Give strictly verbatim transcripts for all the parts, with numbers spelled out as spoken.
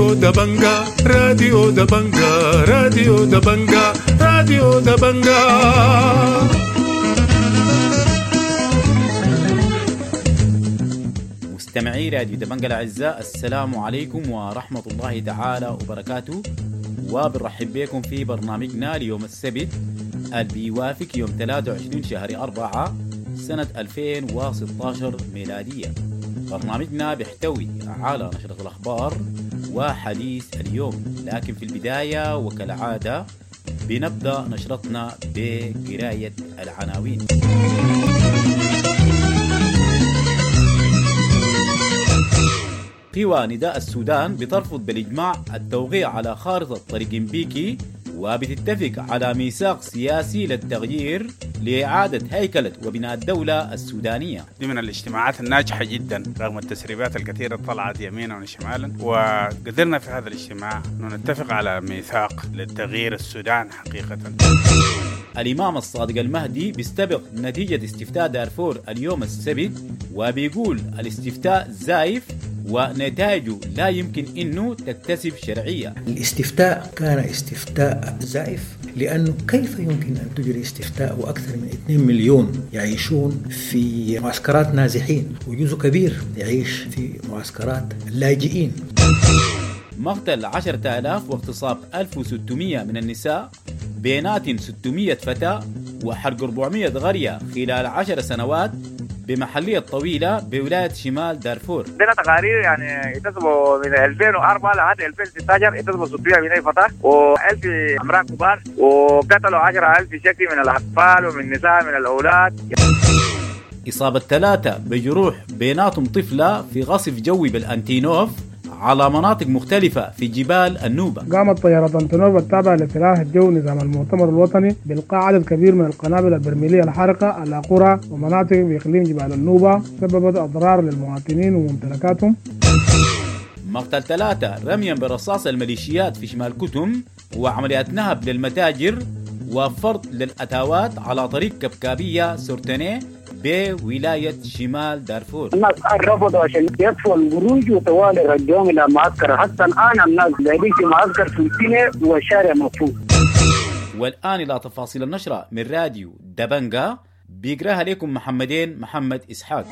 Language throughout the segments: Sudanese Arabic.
راديو دبنجا راديو دبنجا راديو دبنجا راديو دبنجا. مستمعي راديو دبنجا الأعزاء، السلام عليكم ورحمة الله تعالى وبركاته، وبنرحب بكم في برنامجنا ليوم السبت اللي بيوافق يوم ثلاثة وعشرين شهر أربعة سنة ألفين وستة عشر ميلادية. برنامجنا بيحتوي على نشرة الأخبار وحديث اليوم، لكن في البداية وكالعادة بنبدأ نشرتنا بقراية العناوين. قوى نداء السودان بترفض بالإجماع التوقيع على خارطة طريق بيكي، وبتتفق على ميثاق سياسي للتغيير لإعادة هيكلة وبناء الدولة السودانية. دي من الاجتماعات الناجحة جدا رغم التسريبات الكثيرة طلعت يمينا وشمالا، وقدرنا في هذا الاجتماع أن نتفق على ميثاق للتغيير السودان حقيقة. الإمام الصادق المهدي بيستبق نتيجة استفتاء دارفور اليوم السبت، وبيقول الاستفتاء زايف ونتائجه لا يمكن أنه تكتسب شرعية. الاستفتاء كان استفتاء زائف، لأنه كيف يمكن أن تجري استفتاء وأكثر من اثنين مليون يعيشون في معسكرات نازحين، وجزء كبير يعيش في معسكرات اللاجئين. مقتل عشرة آلاف واغتصاب ألف وستمائة من النساء، بينات ستمائة فتاة، وحرق أربعمائة قرية خلال عشر سنوات بمحلية طويلة بولاية شمال دارفور. عندنا تقارير يعني اتصبوا من ألفين وأربعة لحد ألفين وستة عشر اتصبوا ستمائة من فتاة وألف امرأة كبار، وقتلوا عشرة ألف شكل من الأطفال ومن النساء من الأولاد. إصابة ثلاثة بجروح بيناتهم طفلة في غصف جوي بالأنتينوف على مناطق مختلفة في جبال النوبة. قامت طيارة أنتونوف التابعة لسلاح الجو نظام المؤتمر الوطني بإلقاء عدد كبير من القنابل البرميلية الحارقة على قرى ومناطق بإقليم جبال النوبة، سببت أضرار للمواطنين وممتلكاتهم. مقتل ثلاثة رميا برصاص الميليشيات في شمال كتم، وعمليات نهب للمتاجر وفرض للأتاوات على طريق كبكابية سورتاني بولاية شمال دارفور. الناس رفضوا عشان يدفعوا القروش وطوال رجعوهم إلى معسكر، حتى الآن الناس قاعدين في معسكر في والشارع مقفول. والآن إلى تفاصيل النشرة من راديو دبنجا، بيقراها لكم محمدين محمد إسحاق.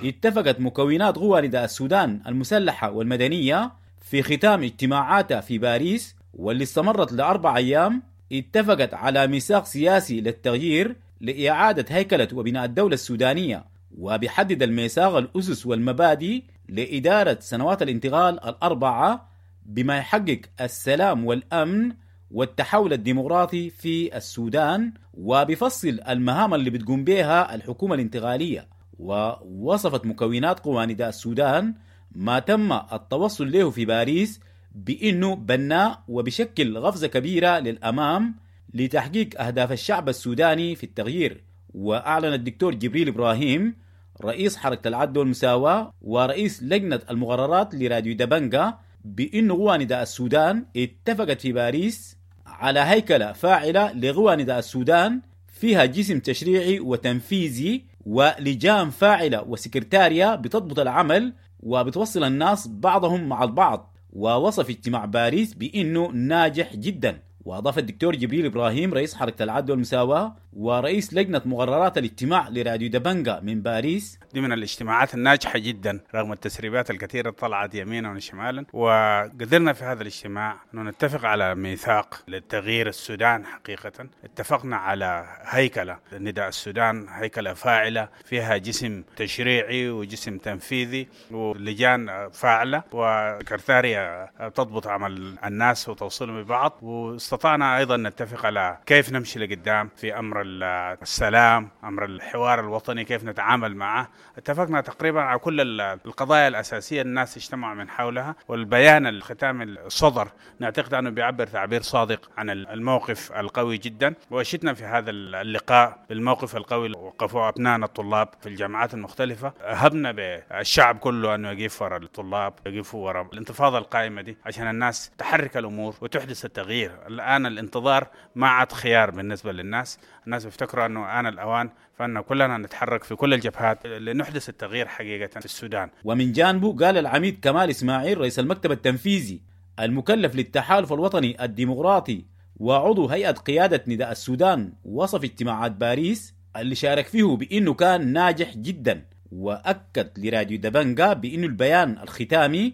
اتفقت مكونات قوى نداء السودان المسلحة والمدنية في ختام اجتماعاتها في باريس واللي استمرت لأربع أيام، اتفقت على ميثاق سياسي للتغيير لإعادة هيكلة وبناء الدولة السودانية، وبيحدد الميثاق الأسس والمبادئ لإدارة سنوات الانتقال الأربعة بما يحقق السلام والأمن والتحول الديمقراطي في السودان، وبيفصل المهام اللي بتقوم بها الحكومة الانتقالية. ووصفت مكونات قوى نداء السودان ما تم التوصل له في باريس بأنه بناء وبشكل غفزة كبيرة للأمام لتحقيق أهداف الشعب السوداني في التغيير. وأعلن الدكتور جبريل إبراهيم رئيس حركة العدل والمساواة ورئيس لجنة المقررات لراديو دبنجا بأن قوى نداء السودان اتفقت في باريس على هيكلة فاعلة لقوى نداء السودان فيها جسم تشريعي وتنفيذي ولجان فاعلة وسكرتارية بتضبط العمل وبتوصل الناس بعضهم مع البعض. ووصف اجتماع باريس بأنه ناجح جدا. وأضاف الدكتور جبريل إبراهيم رئيس حركة العدل والمساواة ورئيس لجنة مقررات الاجتماع لراديو دبنجا من باريس: دي من الاجتماعات الناجحة جدا رغم التسريبات الكثيرة طلعت يمينا وشمالا، وقدرنا في هذا الاجتماع أن نتفق على ميثاق للتغيير السودان حقيقة. اتفقنا على هيكلة نداء السودان، هيكلة فاعلة فيها جسم تشريعي وجسم تنفيذي ولجان فاعلة وكرتارية تضبط عمل الناس وتوصلهم ببعض. واستطعنا أيضا نتفق على كيف نمشي لقدام في أمر السلام، أمر الحوار الوطني، كيف نتعامل معه. اتفقنا تقريبا على كل القضايا الأساسية الناس اجتمعوا من حولها، والبيان الختامي الصدر نعتقد أنه بيعبر تعبير صادق عن الموقف القوي جدا. وشتنا في هذا اللقاء بالموقف القوي وقفوا أبنائنا الطلاب في الجامعات المختلفة. هبنا بالشعب كله أنه يقف وراء الطلاب، يقفوا وراء الانتفاضة القائمة دي عشان الناس تحرك الأمور وتحدث التغيير. الآن الانتظار ما عاد خيار بالنسبة للناس، الناس بيفتكروا أنه آن الأوان، فأن كلنا نتحرك في كل الجبهات لنحدث التغيير حقيقة في السودان. ومن جانبه قال العميد كمال إسماعيل رئيس المكتب التنفيذي المكلف للتحالف الوطني الديمقراطي وعضو هيئة قيادة نداء السودان، وصف اجتماعات باريس اللي شارك فيه بأنه كان ناجح جدا، وأكد لراديو دبنجا بأنه البيان الختامي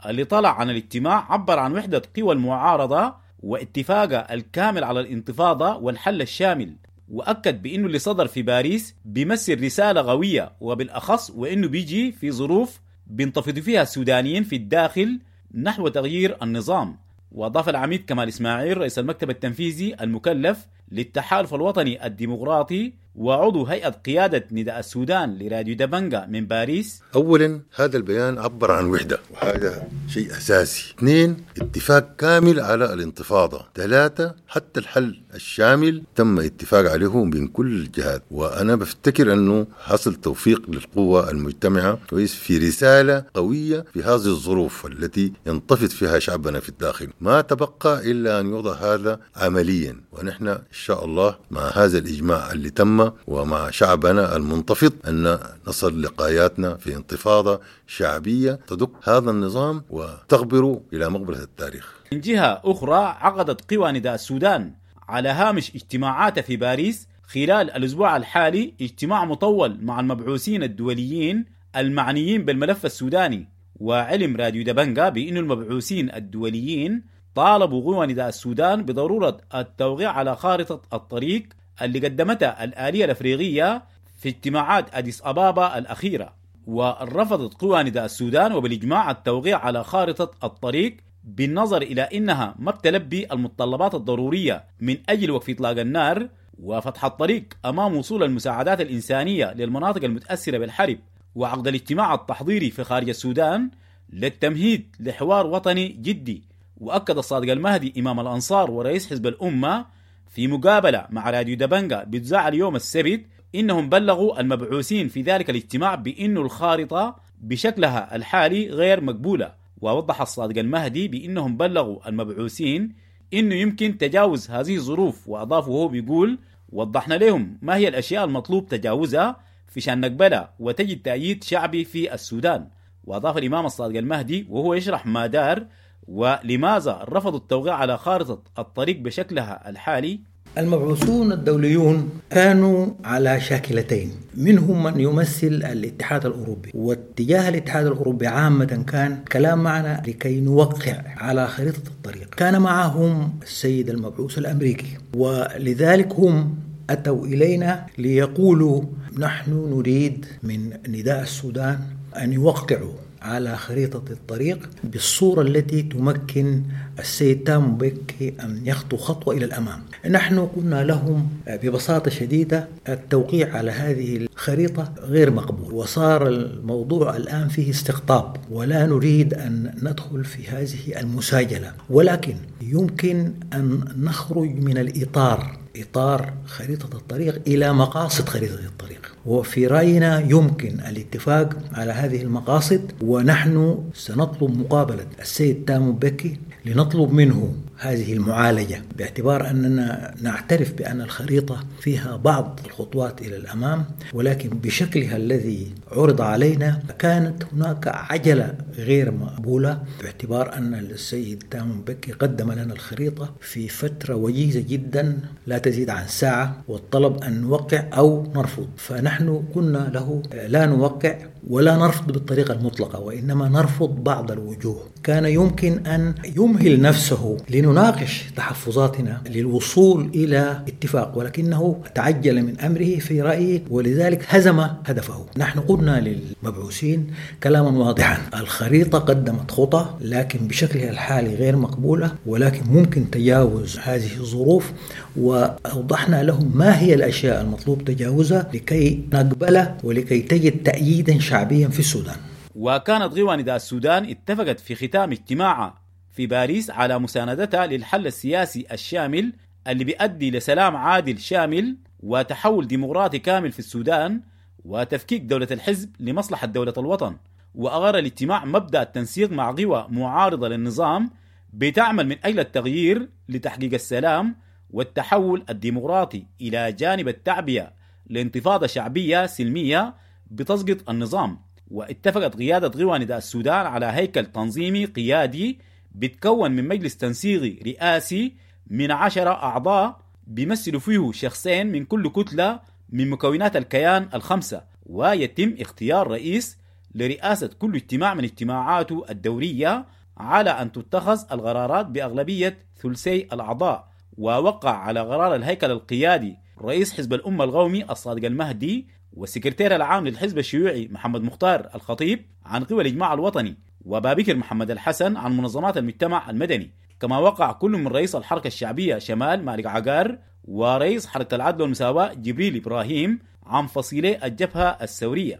اللي طلع عن الاجتماع عبر عن وحدة قوى المعارضة واتفاقها الكامل على الانتفاضة والحل الشامل، وأكد بأنه اللي صدر في باريس بيمثل رسالة قوية، وبالأخص وأنه بيجي في ظروف بينتفض فيها السودانيين في الداخل نحو تغيير النظام. وأضاف العميد كمال إسماعيل رئيس المكتب التنفيذي المكلف للتحالف الوطني الديمقراطي وعضو هيئة قيادة نداء السودان لراديو دبنجا من باريس: أولا هذا البيان عبر عن وحدة وهذا شيء أساسي. اثنين، اتفاق كامل على الانتفاضة. ثلاثة، حتى الحل الشامل تم اتفاق عليه من كل الجهات، وأنا بفتكر أنه حصل توفيق للقوة المجتمعة كويس في رسالة قوية في هذه الظروف التي ينتفض فيها شعبنا في الداخل. ما تبقى إلا أن يوضع هذا عمليا، ونحن إن شاء الله مع هذا الإجماع اللي تم ومع شعبنا المنتفض أن نصل لقاياتنا في انتفاضة شعبية تدق هذا النظام وتغبره إلى مقبرة التاريخ. من جهة أخرى، عقدت قوى نداء السودان على هامش اجتماعاتها في باريس خلال الأسبوع الحالي اجتماع مطول مع المبعوثين الدوليين المعنيين بالملف السوداني. وعلم راديو دبنجا بأن المبعوثين الدوليين طالبوا قوى نداء السودان بضرورة التوقيع على خارطة الطريق اللي قدمتها الآلية الأفريقية في اجتماعات أديس أبابا الأخيرة. ورفضت قوى نداء السودان وبالإجماع التوقيع على خارطة الطريق بالنظر إلى أنها ما بتلبي المتطلبات الضرورية من أجل وقف إطلاق النار وفتح الطريق أمام وصول المساعدات الإنسانية للمناطق المتأثرة بالحرب، وعقد الاجتماع التحضيري في خارج السودان للتمهيد لحوار وطني جدي. وأكد الصادق المهدي إمام الأنصار ورئيس حزب الأمة في مقابلة مع راديو دبنجا بتذاع اليوم السبت إنهم بلغوا المبعوثين في ذلك الاجتماع بأن الخارطة بشكلها الحالي غير مقبولة. ووضح الصادق المهدي بأنهم بلغوا المبعوثين إنه يمكن تجاوز هذه الظروف، وأضاف وهو بيقول: وضحنا لهم ما هي الأشياء المطلوب تجاوزها في شان نقبلها وتجد تأييد شعبي في السودان. وأضاف الإمام الصادق المهدي وهو يشرح ما دار ولماذا رفضوا التوقيع على خارطة الطريق بشكلها الحالي: المبعوثون الدوليون كانوا على شاكلتين، منهم من يمثل الاتحاد الأوروبي، واتجاه الاتحاد الأوروبي عامة كان كلام معنا لكي نوقع على خريطة الطريق. كان معهم السيد المبعوث الأمريكي، ولذلك هم أتوا إلينا ليقولوا نحن نريد من نداء السودان أن يوقعوا على خريطة الطريق بالصورة التي تمكن السيد تامو بكي أن يخطو خطوة إلى الأمام. نحن قلنا لهم ببساطة شديدة التوقيع على هذه الخريطة غير مقبول، وصار الموضوع الآن فيه استقطاب، ولا نريد أن ندخل في هذه المساجلة، ولكن يمكن أن نخرج من الإطار، إطار خريطة الطريق، إلى مقاصد خريطة الطريق. وفي رأينا يمكن الاتفاق على هذه المقاصد، ونحن سنطلب مقابلة السيد تامو بكي لنطلب منه هذه المعالجة، باعتبار أننا نعترف بأن الخريطة فيها بعض الخطوات إلى الأمام، ولكن بشكلها الذي عرض علينا كانت هناك عجلة غير مقبولة، باعتبار أن السيد تامو بكي قدم لنا الخريطة في فترة وجيزة جدا لا تزيد عن ساعة، والطلب أن نوقع أو نرفض. فنحن قلنا له لا نوقع ولا نرفض بالطريقة المطلقة، وإنما نرفض بعض الوجوه. كان يمكن أن يمهل نفسه لنناقش تحفظاتنا للوصول إلى اتفاق، ولكنه تعجل من أمره في رأيي، ولذلك هزم هدفه. نحن قلنا للمبعوثين كلاما واضحا: الخريطة قدمت خطى، لكن بشكلها الحالي غير مقبولة، ولكن ممكن تجاوز هذه الظروف، وأوضحنا لهم ما هي الأشياء المطلوب تجاوزها لكي نقبلها ولكي تجد تأييدا شعبيا في السودان. وكانت قوى نداء السودان اتفقت في ختام اجتماعها في باريس على مساندتها للحل السياسي الشامل اللي بيؤدي لسلام عادل شامل وتحول ديمقراطي كامل في السودان وتفكيك دولة الحزب لمصلحة دولة الوطن. وأغر الاجتماع مبدأ التنسيق مع قوى معارضة للنظام بتعمل من أجل التغيير لتحقيق السلام والتحول الديمقراطي، إلى جانب التعبئة لانتفاضة شعبية سلمية بتسقط النظام. واتفقت قيادة قوى نداء السودان على هيكل تنظيمي قيادي بتكون من مجلس تنسيقي رئاسي من عشرة أعضاء بيمثلوا فيه شخصين من كل كتلة من مكونات الكيان الخمسة، ويتم اختيار رئيس لرئاسة كل اجتماع من اجتماعاته الدورية على أن تتخذ القرارات بأغلبية ثلثي الأعضاء. ووقع على قرار الهيكل القيادي رئيس حزب الأمة القومي الصادق المهدي والسكرتير العام للحزب الشيوعي محمد مختار الخطيب عن قوى الإجماع الوطني، وبابكر محمد الحسن عن منظمات المجتمع المدني. كما وقع كل من رئيس الحركة الشعبية شمال مالك عقار ورئيس حركة العدل والمساواة جبريل إبراهيم عن فصيلي الجبهة الثورية.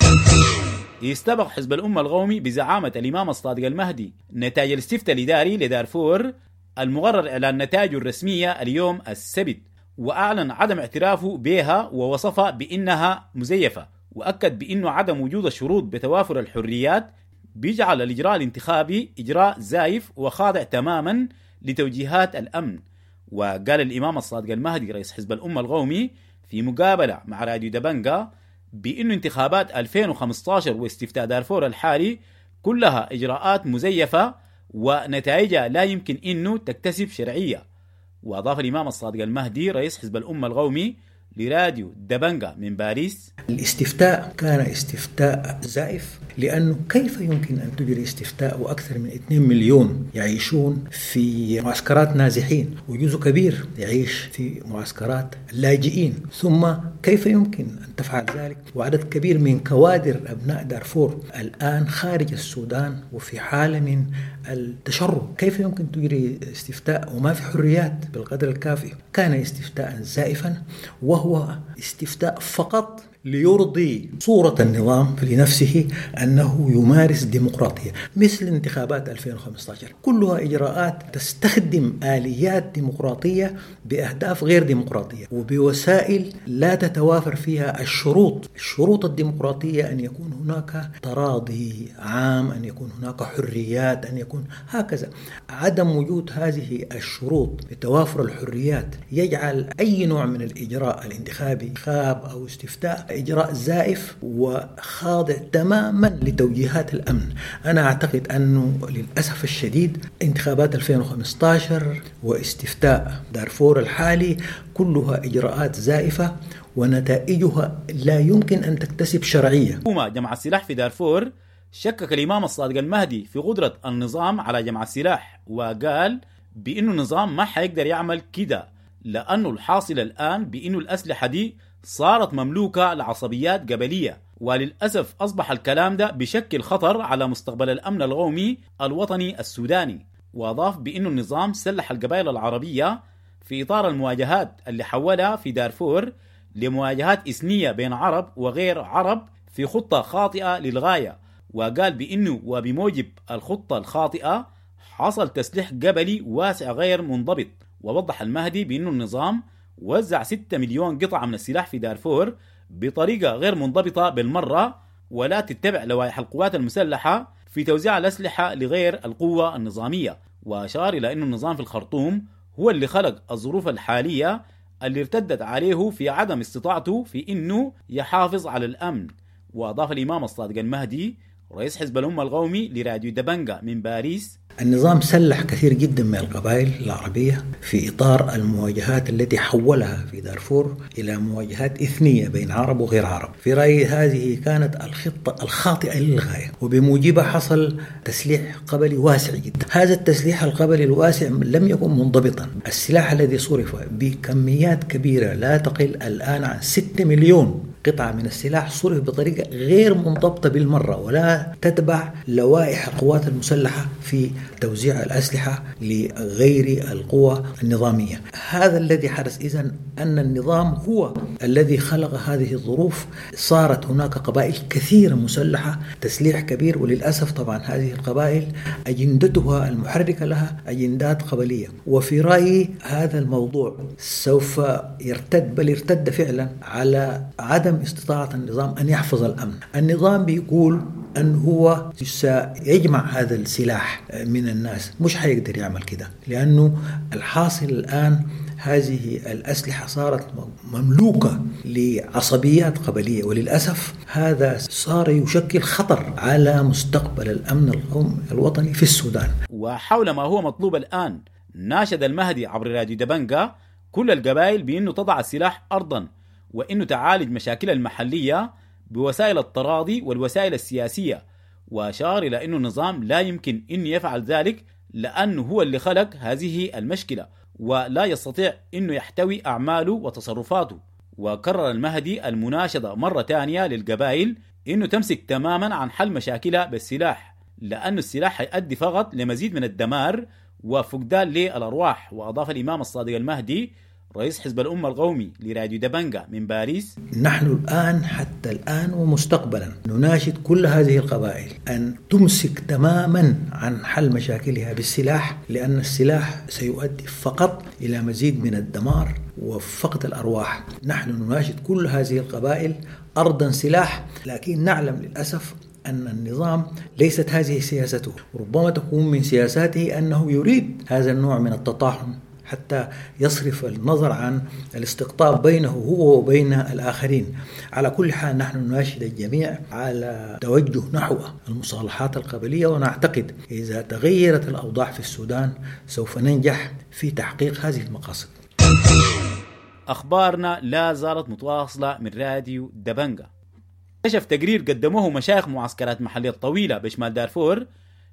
استبق حزب الأمة القومي بزعامة الإمام الصادق المهدي نتائج الاستفتاء الإداري لدارفور المقرر إعلان نتائجه الرسمية اليوم السبت، وأعلن عدم اعترافه بها ووصفها بأنها مزيفة، وأكد بأنه عدم وجود الشروط بتوافر الحريات بيجعل الإجراء الانتخابي إجراء زايف وخاضع تماما لتوجيهات الأمن. وقال الإمام الصادق المهدي رئيس حزب الأمة القومي في مقابلة مع راديو دبنجا بأن انتخابات ألفين وخمسة عشر واستفتاء دارفور الحالي كلها إجراءات مزيفة ونتائجها لا يمكن أنه تكتسب شرعية. وأضاف الإمام الصادق المهدي رئيس حزب الأمة القومي لراديو دبنجا من باريس: الاستفتاء كان استفتاء زائف، لأنه كيف يمكن أن تجري استفتاء وأكثر من اثنين مليون يعيشون في معسكرات نازحين، وجزء كبير يعيش في معسكرات لاجئين، ثم كيف يمكن أن تفعل ذلك وعدد كبير من كوادر أبناء دارفور الآن خارج السودان وفي حالة من التشرد؟ كيف يمكن تجري استفتاء وما في حريات بالقدر الكافي؟ كان استفتاء زائفا، وهو استفتاء فقط ليرضي صورة النظام لنفسه أنه يمارس ديمقراطية، مثل انتخابات ألفين وخمسة عشر كلها إجراءات تستخدم آليات ديمقراطية بأهداف غير ديمقراطية وبوسائل لا تتوافر فيها الشروط. الشروط الديمقراطية أن يكون هناك تراضي عام، أن يكون هناك حريات، أن يكون هكذا. عدم وجود هذه الشروط بتوافر الحريات يجعل أي نوع من الإجراء الانتخابي، انتخاب أو استفتاء، إجراء زائف وخاضع تماما لتوجيهات الأمن. أنا أعتقد أنه للأسف الشديد انتخابات ألفين وخمسة عشر واستفتاء دارفور الحالي كلها إجراءات زائفة ونتائجها لا يمكن أن تكتسب شرعية. حكومة جمع السلاح في دارفور. شكك الإمام الصادق المهدي في قدرة النظام على جمع السلاح، وقال بأنه النظام ما حيقدر يعمل كده، لأنه الحاصل الآن بأنه الأسلحة دي صارت مملوكة لعصبيات قبلية، وللأسف أصبح الكلام ده بشكل خطر على مستقبل الأمن القومي الوطني السوداني. وأضاف بأنه النظام سلح القبائل العربية في إطار المواجهات اللي حولها في دارفور لمواجهات إثنية بين عرب وغير عرب في خطة خاطئة للغاية، وقال بأنه وبموجب الخطة الخاطئة حصل تسليح قبلي واسع غير منضبط. ووضح المهدي بأنه النظام وزع ستة مليون قطعة من السلاح في دارفور بطريقة غير منضبطة بالمرة، ولا تتبع لوائح القوات المسلحة في توزيع الأسلحة لغير القوة النظامية. وأشار إلى أن النظام في الخرطوم هو اللي خلق الظروف الحالية اللي ارتدت عليه في عدم استطاعته في أنه يحافظ على الأمن. وأضاف الإمام الصادق المهدي رئيس حزب الأمة القومي لراديو دبنجا من باريس: النظام سلح كثير جدا من القبائل العربية في إطار المواجهات التي حولها في دارفور إلى مواجهات إثنية بين عرب وغير عرب. في رأيي هذه كانت الخطة الخاطئة للغاية، وبموجبها حصل تسليح قبلي واسع جدا. هذا التسليح القبلي الواسع لم يكن منضبطا. السلاح الذي صرف بكميات كبيرة لا تقل الآن عن ستة مليون قطعة من السلاح صرف بطريقة غير منضبطة بالمرة، ولا تتبع لوائح القوات المسلحة في توزيع الأسلحة لغير القوى النظامية. هذا الذي حدث إذن أن النظام هو الذي خلق هذه الظروف. صارت هناك قبائل كثيرة مسلحة، تسليح كبير، وللأسف طبعا هذه القبائل أجندتها المحركة لها أجندات قبلية. وفي رأيي هذا الموضوع سوف يرتد، بل ارتد فعلا، على عدم استطاعة النظام أن يحفظ الأمن. النظام بيقول أن هو سيجمع هذا السلاح من الناس، مش حيقدر يعمل كده، لأنه الحاصل الآن هذه الأسلحة صارت مملوكة لعصبيات قبلية، وللأسف هذا صار يشكل خطر على مستقبل الأمن القومي الوطني في السودان. وحول ما هو مطلوب الآن، ناشد المهدي عبر راديو دبنجا كل القبائل بأنه تضع السلاح أرضا، وأنه تعالج مشاكلها المحلية بوسائل التراضي والوسائل السياسية، وأشار إلى أنه النظام لا يمكن أن يفعل ذلك لأنه هو اللي خلق هذه المشكلة ولا يستطيع أنه يحتوي أعماله وتصرفاته. وكرر المهدي المناشدة مرة تانية للقبائل أنه تمسك تماما عن حل مشاكلها بالسلاح، لأن السلاح هيؤدي فقط لمزيد من الدمار وفقدان للأرواح. وأضاف الإمام الصادق المهدي رئيس حزب الأمة القومي لراديو دبنجا من باريس: نحن الآن حتى الآن ومستقبلا نناشد كل هذه القبائل أن تمسك تماما عن حل مشاكلها بالسلاح، لأن السلاح سيؤدي فقط إلى مزيد من الدمار وفقد الأرواح. نحن نناشد كل هذه القبائل أرضا سلاح، لكن نعلم للأسف أن النظام ليست هذه سياسته، ربما تكون من سياساته أنه يريد هذا النوع من التطاحن حتى يصرف النظر عن الاستقطاب بينه هو وبين الآخرين. على كل حال نحن نناشد الجميع على توجه نحو المصالحات القبلية، ونعتقد إذا تغيرت الأوضاع في السودان سوف ننجح في تحقيق هذه المقاصد. أخبارنا لا زالت متواصلة من راديو دبنجا. كشف تقرير قدموه مشايخ معسكرات محلية الطويلة بشمال دارفور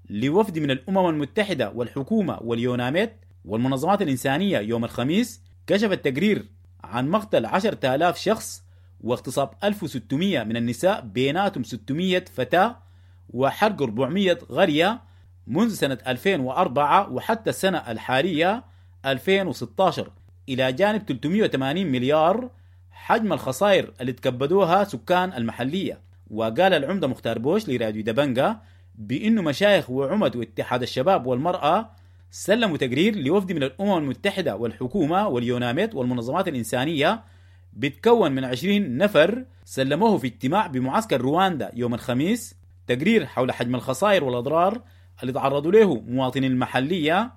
لوفد من الأمم المتحدة والحكومة واليوناميت والمنظمات الإنسانية يوم الخميس، كشف التقرير عن مقتل عشرة آلاف شخص واغتصاب ألف وستمائة من النساء بيناتهم ستمائة فتاة وحرق أربعمائة قرية منذ سنة ألفين وأربعة وحتى السنة الحالية ألفين وستة عشر، إلى جانب ثلاثمائة وثمانين مليار حجم الخسائر اللي تكبدوها سكان المحلية. وقال العمدة مختار بوش لراديو دبنجا بأنه مشايخ وعمد واتحاد الشباب والمرأة سلموا تقرير لوفد من الأمم المتحدة والحكومة واليوناميت والمنظمات الإنسانية بتكون من عشرين نفر، سلموه في اجتماع بمعسكر رواندا يوم الخميس، تقرير حول حجم الخسائر والأضرار اللي تعرضوا له مواطنين المحلية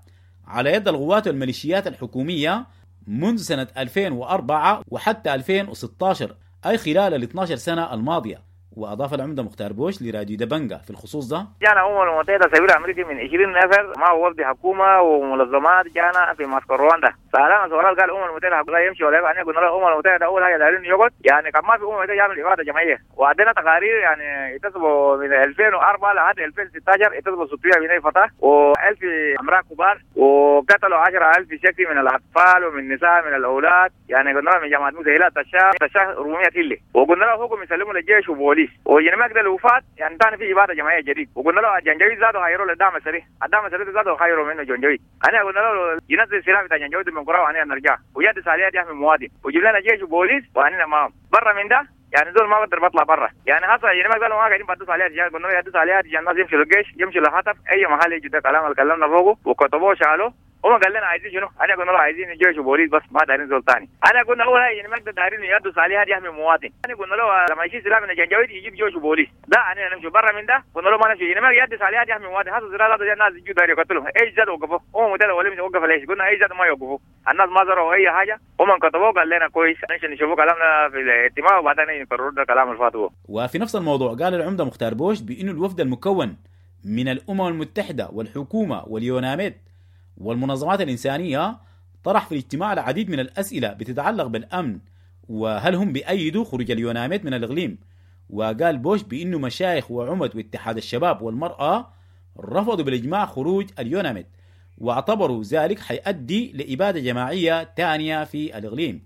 على يد القوات والميليشيات الحكومية منذ سنة ألفين وأربعة وحتى ألفين وستة عشر، أي خلال ال اثنتي عشرة سنة الماضية. وأضاف العمدة مختار بوش لراديو دبنجا في الخصوص ده: جانا الأمم المتحدة سفير أمريكي من عشرين نفر ما هو وفد حكومة ومنظمات، جانا في معسكر رواندا. سألنا سؤال قال الأمم المتحدة لا يمشي ولا يبقى. قلنا له الأمم المتحدة أول حاجة دايرين يقعد، يعني كان ما في أمم المتحدة يعمل إبادة جماعية. وعندنا تقارير يعني اتصلوا من ألفين وأربعة لحد ألفين وستة عشر اتصلوا ستمائة من فتاة وألف امرأة كبار وقتلوا عشرة ألف شكل من الأطفال ومن النساء من الأولاد. يعني قلنا لهم من جامعة موسى هلال تشاه تشاه أربعمائة كيلو، وقلنا له حكم يسلموا للجيش وبوليس. وجينا ما قدر وفات يعني ثاني في إبادة جماعية جديد. وقلنا له الجنجويد زادوا خيروا للدعم السريع، الدعم السريع زادوا خيروا منه جنجويد. أنا قلنا له ينزل السلاح بتاع جنجويد من قرى وأنا نرجع ويد ساليات يحمي مواطن وجيب لنا جيش وبوليس وأنا معهم برا من ده. يعني دول ما بقدر بطلع برا، يعني هسه يعني ما قالوا ما قاعدين بدوس عليها رجال. قلنا له يدوس عليها رجال الناس يمشوا للجيش يمشوا للهتف أي محل يجي. ده كلام اللي كلمنا فوقه وكتبوه شالوه. هم قال لنا عايزين شنو؟ انا قلنا له عايزين جيش وبوليس بس ما دايرين زول ثاني. انا قلنا اول حاجه يعني ما نقدر دايرين يدوس عليها يحمي مواطن. انا قلنا له لما يشيل سلاح من الجنجويد يجيب جيش وبوليس، لا انا نمشي برا من ده. قلنا له ما نمشي يعني ما يدوس عليها يحمي مواطن. هذا الزرار هذا الناس يجوا داير يقتلهم. ايش زاد وقفوا؟ هم متى ولا مش وقف ليش؟ قلنا ايش زاد ما يوقفوا. الناس ما زروا اي حاجه. هم كتبوه قال لنا كويس نمشي نشوفوا كلامنا في الاجتماع وبعدين نقرروا الكلام الفاتوه. وفي نفس الموضوع قال العمدة مختار بوش بانه الوفد المكون من الامم المتحده والحكومه واليوناميت والمنظمات الإنسانية طرح في الاجتماع العديد من الأسئلة بتتعلق بالأمن وهل هم بيأيدوا خروج اليوناميت من الإقليم. وقال بوش بأنه مشايخ وعمد واتحاد الشباب والمرأة رفضوا بالإجماع خروج اليوناميت واعتبروا ذلك حيؤدي لإبادة جماعية تانية في الإقليم.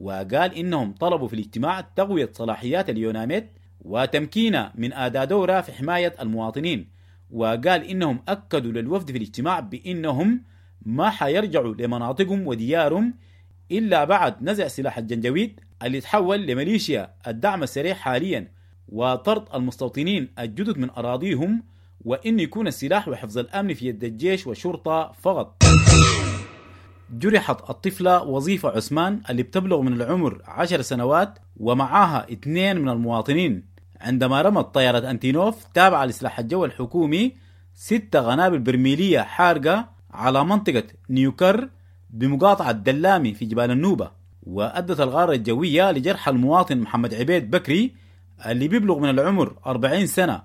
وقال إنهم طلبوا في الاجتماع تقوية صلاحيات اليوناميد وتمكينها من أداء دورها في حماية المواطنين. وقال إنهم أكدوا للوفد في الاجتماع بإنهم ما حيرجعوا لمناطقهم وديارهم إلا بعد نزع سلاح الجنجويد اللي تحول لميليشيا الدعم السريع حاليا، وطرد المستوطنين الجدد من أراضيهم، وإن يكون السلاح وحفظ الأمن في يد الجيش والشرطة فقط. جرحت الطفلة وظيفة عثمان اللي بتبلغ من العمر عشر سنوات ومعاها اثنين من المواطنين عندما رمت طيارة أنتينوف تابعة لسلاح الجو الحكومي ستة قنابل برميلية حارقة على منطقة نيوكر بمقاطعة دلامي في جبال النوبة، وأدت الغارة الجوية لجرح المواطن محمد عبيد بكري اللي بيبلغ من العمر أربعين سنة،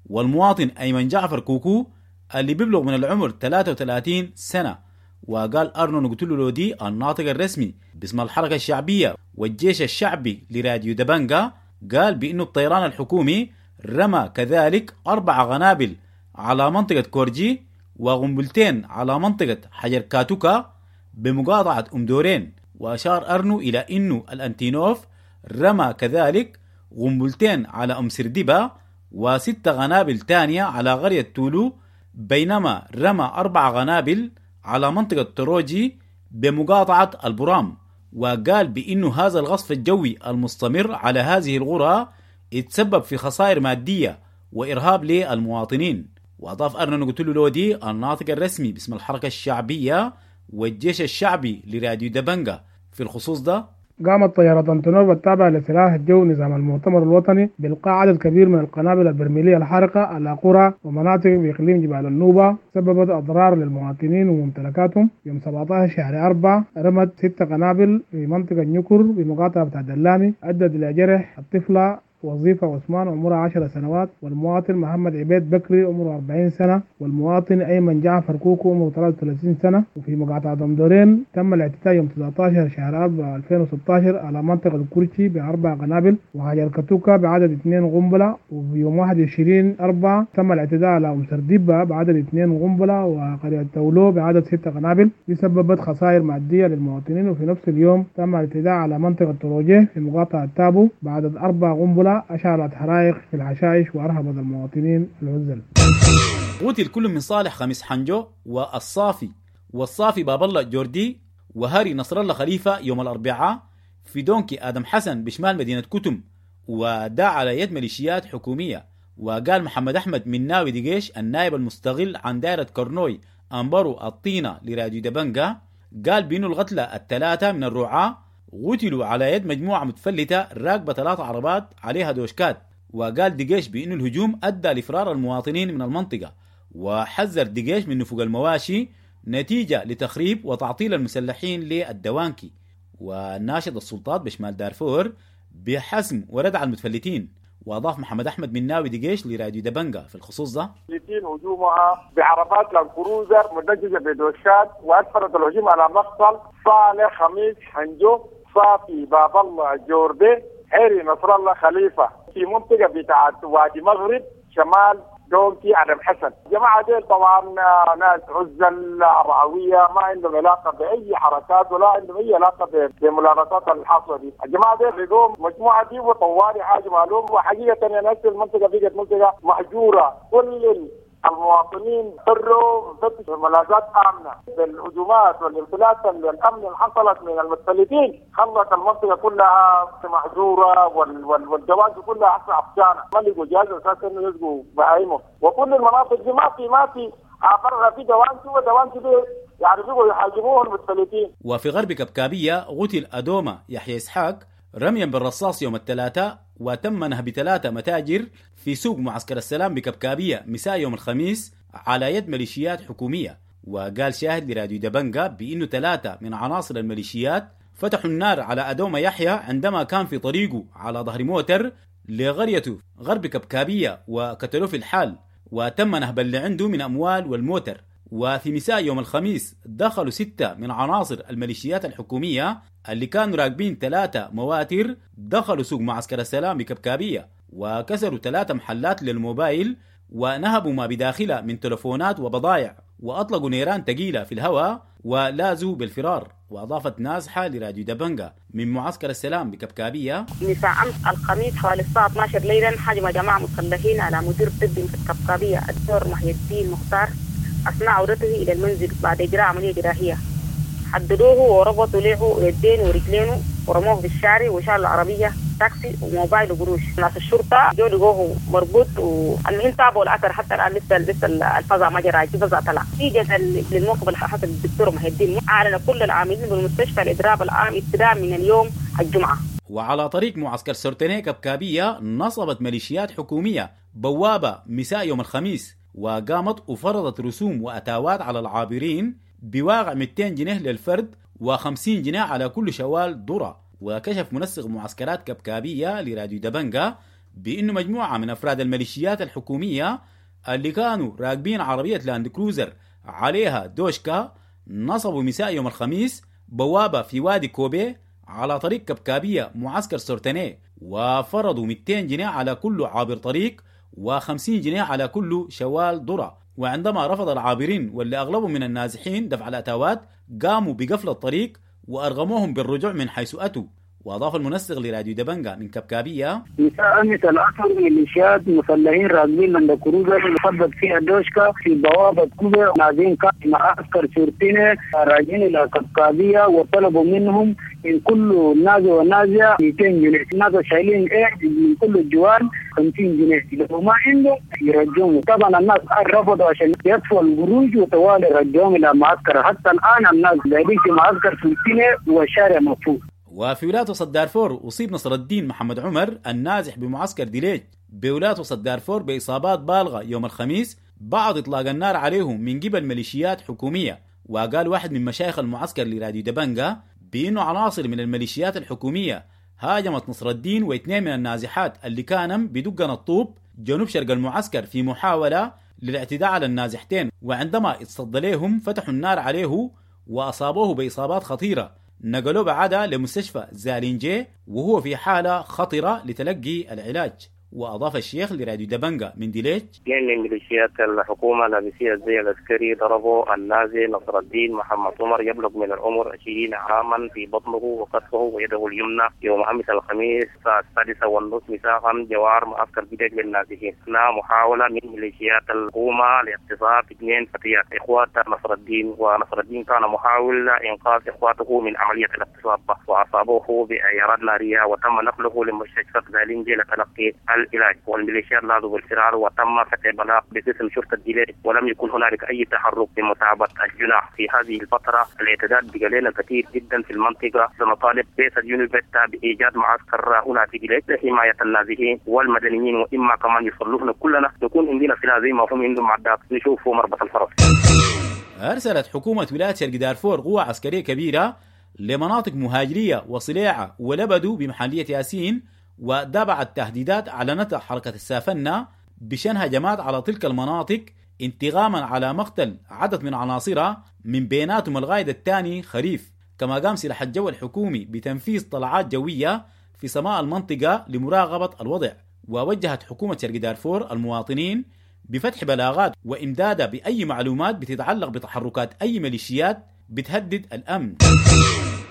والمواطن أيمن جعفر كوكو اللي بيبلغ من العمر ثلاثة وثلاثين سنة. وقال أرنو نقتلو لودي الناطق الرسمي باسم الحركة الشعبية والجيش الشعبي لراديو دبنجا، قال بأنه الطيران الحكومي رمى كذلك أربع قنابل على منطقة كورجي وقنبلتين على منطقة حجر كاتوكا بمقاطعة أم دورين. وأشار أرنو إلى أنه الأنتينوف رمى كذلك قنبلتين على أم سردبة وست قنابل تانية على قرية تولو، بينما رمى أربع قنابل على منطقة تروجي بمقاطعة البرام. وقال بأنه هذا الغصف الجوي المستمر على هذه القرى اتسبب في خسائر مادية وإرهاب للمواطنين. وأضاف أرنو نقتلو لودي الناطق الرسمي باسم الحركة الشعبية والجيش الشعبي لراديو دبنجا في الخصوص ده: قامت طيارة أنتونوف التابعة لسلاح الجو نظام المؤتمر الوطني بإلقاء عدد كبير من القنابل البرميلية الحارقة على قرى ومناطق بإقليم جبال النوبة، سببت أضرار للمواطنين وممتلكاتهم. يوم سبعة عشر شهر أربعة رمت ست قنابل في منطقة نيوكر بمقاطعة بتاع دلامي، أدت إلى جرح الطفلة وظيفة عثمان عمرها عشر سنوات، والمواطن محمد عبيد بكري عمره أربعين سنة، والمواطن أيمن جعفر كوكو عمره ثلاثة وثلاثين سنة. وفي مقاطعة أم تم الاعتداء يوم تسعة عشر شهر أربعة ألفين وستة عشر على منطقة الكرشي بأربع قنابل وحجر كتوكا بعدد اثنين قنبلة. وفي يوم واحد وعشرين أربعة تم الاعتداء على أم سرديبة بعدد اثنين قنبلة وقرية تولو بعدد ستة قنابل، دي سببت خسائر مادية للمواطنين. وفي نفس اليوم تم الاعتداء على منطقة تروجيه في مقاطعة تابو بعدد أربع قنبلة أشعلت حرائق في الحشائش وأرهبت المواطنين العزل. قتل كل من صالح خميس حنجو والصافي والصافي باب الله جوردي وهاري نصر الله خليفة يوم الأربعاء في دونكي آدم حسن بشمال مدينة كتم، وداع على يد ميليشيات حكومية. وقال محمد أحمد من ناوي دقيش النائب المستغل عن دائرة كورنوي أنبرو الطينة لراديو دبنجا، قال بأنه القتلى الثلاثة من الرعاة قتلوا على يد مجموعة متفلتة راكبة ثلاث عربات عليها دوشكات. وقال دقيش بأنه الهجوم أدى لفرار المواطنين من المنطقة، وحذر دقيش من نفوق المواشي نتيجة لتخريب وتعطيل المسلحين للدوانكي. وناشد السلطات بشمال دارفور بحسم وردع المتفلتين. وأضاف محمد أحمد من ناوي دقيش لراديو دبنجا في الخصوص ده: هجومها بعربات لاندكروزر مدججة بدوشات، وأسفرت الهجوم على مقتل صالح خميس حنجو، صافي باب الله جوردي، هيري نصر الله خليفة في منطقة بتاعت وادي مغرب شمال دونكي آدم حسن. الجماعة ديل طبعا ناس عزل رعوية، ما عندهم علاقة بأي حركات ولا عندهم أي علاقة بملابسات الحاصلة دي. الجماعة ديل لقوا مجموعة دي وطوالي حاجة معلوم. وحقيقة يا ناس المنطقة بقت منطقة مهجورة، كل المواطنين فروا فتشوا ملاذات آمنة. بالهجومات والانفلات الأمن اللي حصلت من المتفلتين خلت المنطقة كلها مهجورة، والجواز كلها حصل عطشانة، ما لقوا جهاز أساسا إنه يسقوا بهايمهم. وكل المناطق دي ما في ما في عبرها في دوانتي ودوانتي دي يعني بيقوا يحاجبوه المتفلتين. وفي غرب كبكابية قتل أدوما يحيى إسحاق رميا بالرصاص يوم الثلاثاء، وتم نهب ثلاثة متاجر في سوق معسكر السلام بكبكابية مساء يوم الخميس على يد ميليشيات حكومية. وقال شاهد لراديو دبنجا بأنه ثلاثة من عناصر الميليشيات فتحوا النار على أدوما يحيى عندما كان في طريقه على ظهر موتر لقريته غرب كبكابية وقتلوه في الحال، وتم نهب اللي عنده من أموال والموتر. وفي مساء يوم الخميس دخلوا ستة من عناصر الميليشيات الحكومية اللي كانوا راكبين ثلاثة مواتر، دخلوا سوق معسكر السلام بكبكابية وكسروا ثلاثة محلات للموبايل ونهبوا ما بداخلها من تلفونات وبضائع، وأطلقوا نيران ثقيلة في الهواء ولازوا بالفرار. وأضافت نازحة لراديو دبنجا من معسكر السلام بكبكابية: مساء أمس الخميس حوالي الساعة اثنا عشر ليلا هجم جماعة مسلحين على مدير طبي في الكبكابية الدكتور محي الدين مختار أثناء عودته إلى المنزل بعد إجراء عملية جراحية. هددوه وربطوا له يدين ورجلينه ورموه في الشارع وشالوا العربية تاكسي وموبايل وقروش. ناس الشرطة جو لقوه مربوط، والمهم تابعوا الأثر حتى الآن لسه لسه الفزع ما جرى، الفزع طلع. نتيجة للموقف اللي حصل الدكتور محي الدين أعلن كل العاملين بالمستشفى الإضراب العام ابتداء من اليوم الجمعة. وعلى طريق معسكر سورتيني كبكابية نصبت ميليشيات حكومية بوابة مساء يوم الخميس، وقامت وفرضت رسوم وأتاوات على العابرين بواقع مئتين جنيه للفرد وخمسين جنيه على كل شوال ذرة. وكشف منسق معسكرات كبكابية لراديو دبنجا بأنه مجموعة من أفراد الميليشيات الحكومية اللي كانوا راكبين عربية لاند كروزر عليها دوشكا نصبوا مساء يوم الخميس بوابة في وادي كوبي على طريق كبكابية معسكر سورتيني، وفرضوا مئتين جنيه على كل عابر طريق وخمسين جنيه على كل شوال ذرة. وعندما رفض العابرين واللي أغلبهم من النازحين دفع الأتاوات قاموا بقفل الطريق وأرغموهم بالرجوع من حيث أتوا. وأضاف المنسق لراديو دبنجا من كبكابية: مساء أمس العصر ميليشيات مسلحين راكبين لاند كروزر مثبت فيها دوشكا في بوابة كوبا نازلين معسكر سورتيني راجعين إلى كبكابية، وطلبوا منهم من كل نازح ونازحة مئتين جنيه. الناس شايلين ايه من كل الجوال خمسين جنيه، لو ما عنده يرجعوهم. طبعا الناس رفضوا عشان يدفعوا القروش وطوالي رجعوهم الى معسكر. حتى الان الناس قاعدين في معسكر سورتيني والشارع مقفول. وفي ولاية وسط دارفور أصيب نصر الدين محمد عمر النازح بمعسكر ديليج بولاية وسط دارفور بإصابات بالغة يوم الخميس بعد إطلاق النار عليهم من قبل ميليشيات حكومية. وقال واحد من مشايخ المعسكر لراديو دبنجا بأنه عناصر من الميليشيات الحكومية هاجمت نصر الدين واثنين من النازحات اللي كانوا بدقن الطوب جنوب شرق المعسكر في محاولة للاعتداء على النازحتين، وعندما اتصدى لهم فتحوا النار عليه وأصابوه بإصابات خطيرة. نقلوه بعدها لمستشفى زالينجي وهو في حالة خطرة لتلقي العلاج. وأضاف الشيخ لراديو دبنجا من ديليج: اثنين من ميليشيات الحكومة لابسين الزي العسكري ضربوا النازح نصر الدين محمد عمر يبلغ من العمر عشرين عاما في بطنه وكتفه ويده اليمنى يوم أمس الخميس الساعة السادسة والنصف مساء جوار معسكر ديليج للنازحين أثناء محاولة من ميليشيات الحكومة لاغتصاب اثنين فتيات إخوات نصر الدين، ونصر الدين كان محاول إنقاذ إخواته من عملية الاغتصاب وأصابوه بعيارات نارية وتم نقله لمستشفى زالينجي لتلقي العلاج، والميليشيات لاذوا بالفرار وتم فتح بلاغ باسم شرطة ديليج ولم يكن هنالك أي تحرك لمتابعة الجناح. في هذه الفترة الاعتداءات بقى لنا كثير جدا في المنطقة. سنطالب رئيس اليونيفيتا بإيجاد معسكر هنا في ديليج لحماية النازحين والمدنيين، وإما كمان يصلونا كلنا نكون عندنا سلاح زي ما هم عندهم معدات نشوفوا مربط الفرس. أرسلت حكومة ولاية شرق دارفور قوة عسكرية كبيرة لمناطق مهاجرية وصليعة ولبدو بمحلية ياسين، وده بعد تهديدات أعلنتها حركة السافنة بشن هجمات على تلك المناطق انتقاما على مقتل عدد من عناصرها من بيناتهم القائد الثاني خريف. كما قام سلاح الجو الحكومي بتنفيذ طلعات جوية في سماء المنطقة لمراقبة الوضع. ووجهت حكومة شرق دارفور المواطنين بفتح بلاغات وإمدادها بأي معلومات بتتعلق بتحركات أي ميليشيات بتهدد الأمن.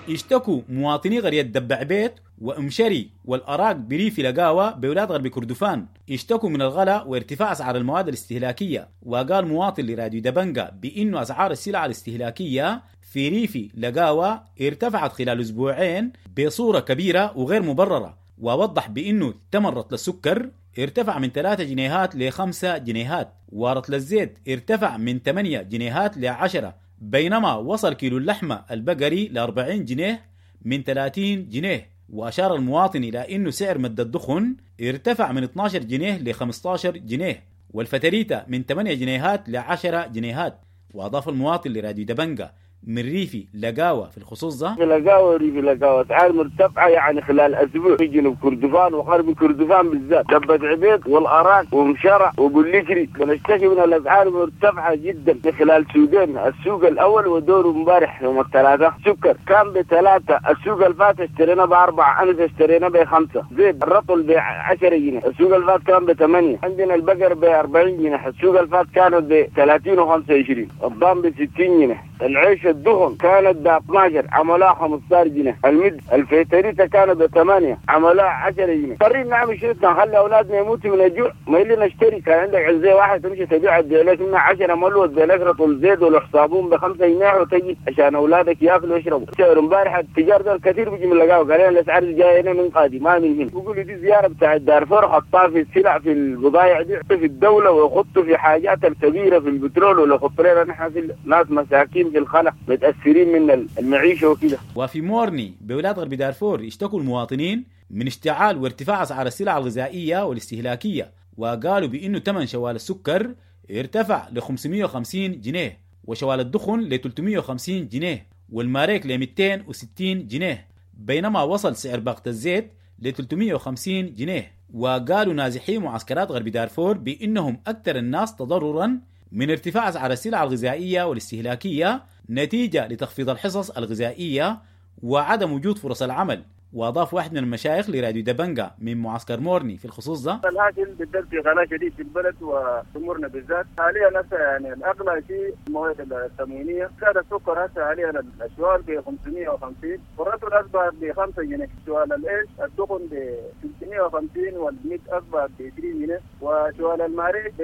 اشتكوا مواطني قرية دبع بيت وأمشري والأراك بريف لقاوة بولاد غرب كردفان، اشتكوا من الغلاء وارتفاع أسعار المواد الاستهلاكية. وقال مواطن لراديو دبنجا بأنه أسعار السلع الاستهلاكية في ريف لقاوة ارتفعت خلال أسبوعين بصورة كبيرة وغير مبررة، ووضح بأنه ثمن رطل السكر ارتفع من ثلاثة جنيهات لخمسة جنيهات، ورطل الزيت ارتفع من ثمانية جنيهات لعشرة، بينما وصل كيلو اللحمة البقري ل أربعين جنيه من ثلاثين جنيه. وأشار المواطن إلى أنه سعر مد الدخن ارتفع من اثناشر جنيه ل خمستاشر جنيه، والفتريتة من ثمانية جنيهات ل عشرة جنيهات. وأضاف المواطن لراديو دبنجا من ريفي لقاوة في الخصوص ده: لقاوة ريفي لقاوة أسعار مرتفعة يعني خلال أسبوع في جنوب كردفان وغرب كردفان بالذات، دبة عبيد والأراك ومشرع وبوليكري بنشتكي من الأسعار مرتفعة جدا خلال سوقين، السوق الأول ودوره امبارح يوم الثلاثاء. سكر كان بثلاثة، السوق الفات اشترينا بأربعة، أمس اشترينا بخمسة. زيت الرطل بعشرة جنيه، السوق الفات كان بثمانية. عندنا البقر بأربعين جنيه، السوق الفات كانت بثلاثين وخمسة وعشرين. الضان بستين جنيه. العيش الدهن كانت ب اثناشر عملوها خمستاشر جنيه، المد الفيتريتا كانت ب ثمانية عملوها عشرة جنيه. اضطرينا نعمل شنو؟ نخلي اولادنا يموتوا من الجوع؟ ما اللي نشتري. كان عندك عزية واحد تمشي تبيع لك منها عشرة ملوى لك رطل زيت ولا صابون بخمسة جنيه وتجي عشان اولادك ياكلوا ويشربوا. سعر امبارح التجار دول كثير بيجي من لقاو قال لنا الاسعار جاية هنا من قادي ما من هنا. بيقولوا دي زيارة بتاع دارفور حطها في السلع في البضائع دي في الدولة ويخطوا في حاجات الكبيرة في البترول ولا يخطوا لنا نحن في ناس مساكين في الخلا متاثرين من المعيشة وكده. وفي مورني بولاية غرب دارفور اشتكوا المواطنين من اشتعال وارتفاع اسعار السلع الغذائية والاستهلاكيه، وقالوا بانه ثمن شوال السكر ارتفع ل خمسمية وخمسين جنيه، وشوال الدخن ل ثلاثمية وخمسين جنيه، والماريك ل مئتين وستين جنيه، بينما وصل سعر باقة الزيت ل ثلاثمية وخمسين جنيه. وقالوا نازحي معسكرات غرب دارفور بأنهم أكثر الناس تضررا من ارتفاع أسعار السلع الغذائية والاستهلاكية نتيجة لتخفيض الحصص الغذائية وعدم وجود فرص العمل. واضاف واحد من المشايخ لراديو دبنجا من معسكر مورني في الخصوص ده: الهاكل بالذات في غلاء شديد في البلد وامورنا بالذات حاليا هسه، يعني الاغلى شيء المواد التموينيه. زاد السكر هسه حاليا الاشوال ب خمسمية وخمسين والرطل اصبح ب خمسة جنيه، شوال العيش الدخن ب ثلاثمية وخمسين والميت اصبح ب عشرين جنيه، وشوال الماريك ب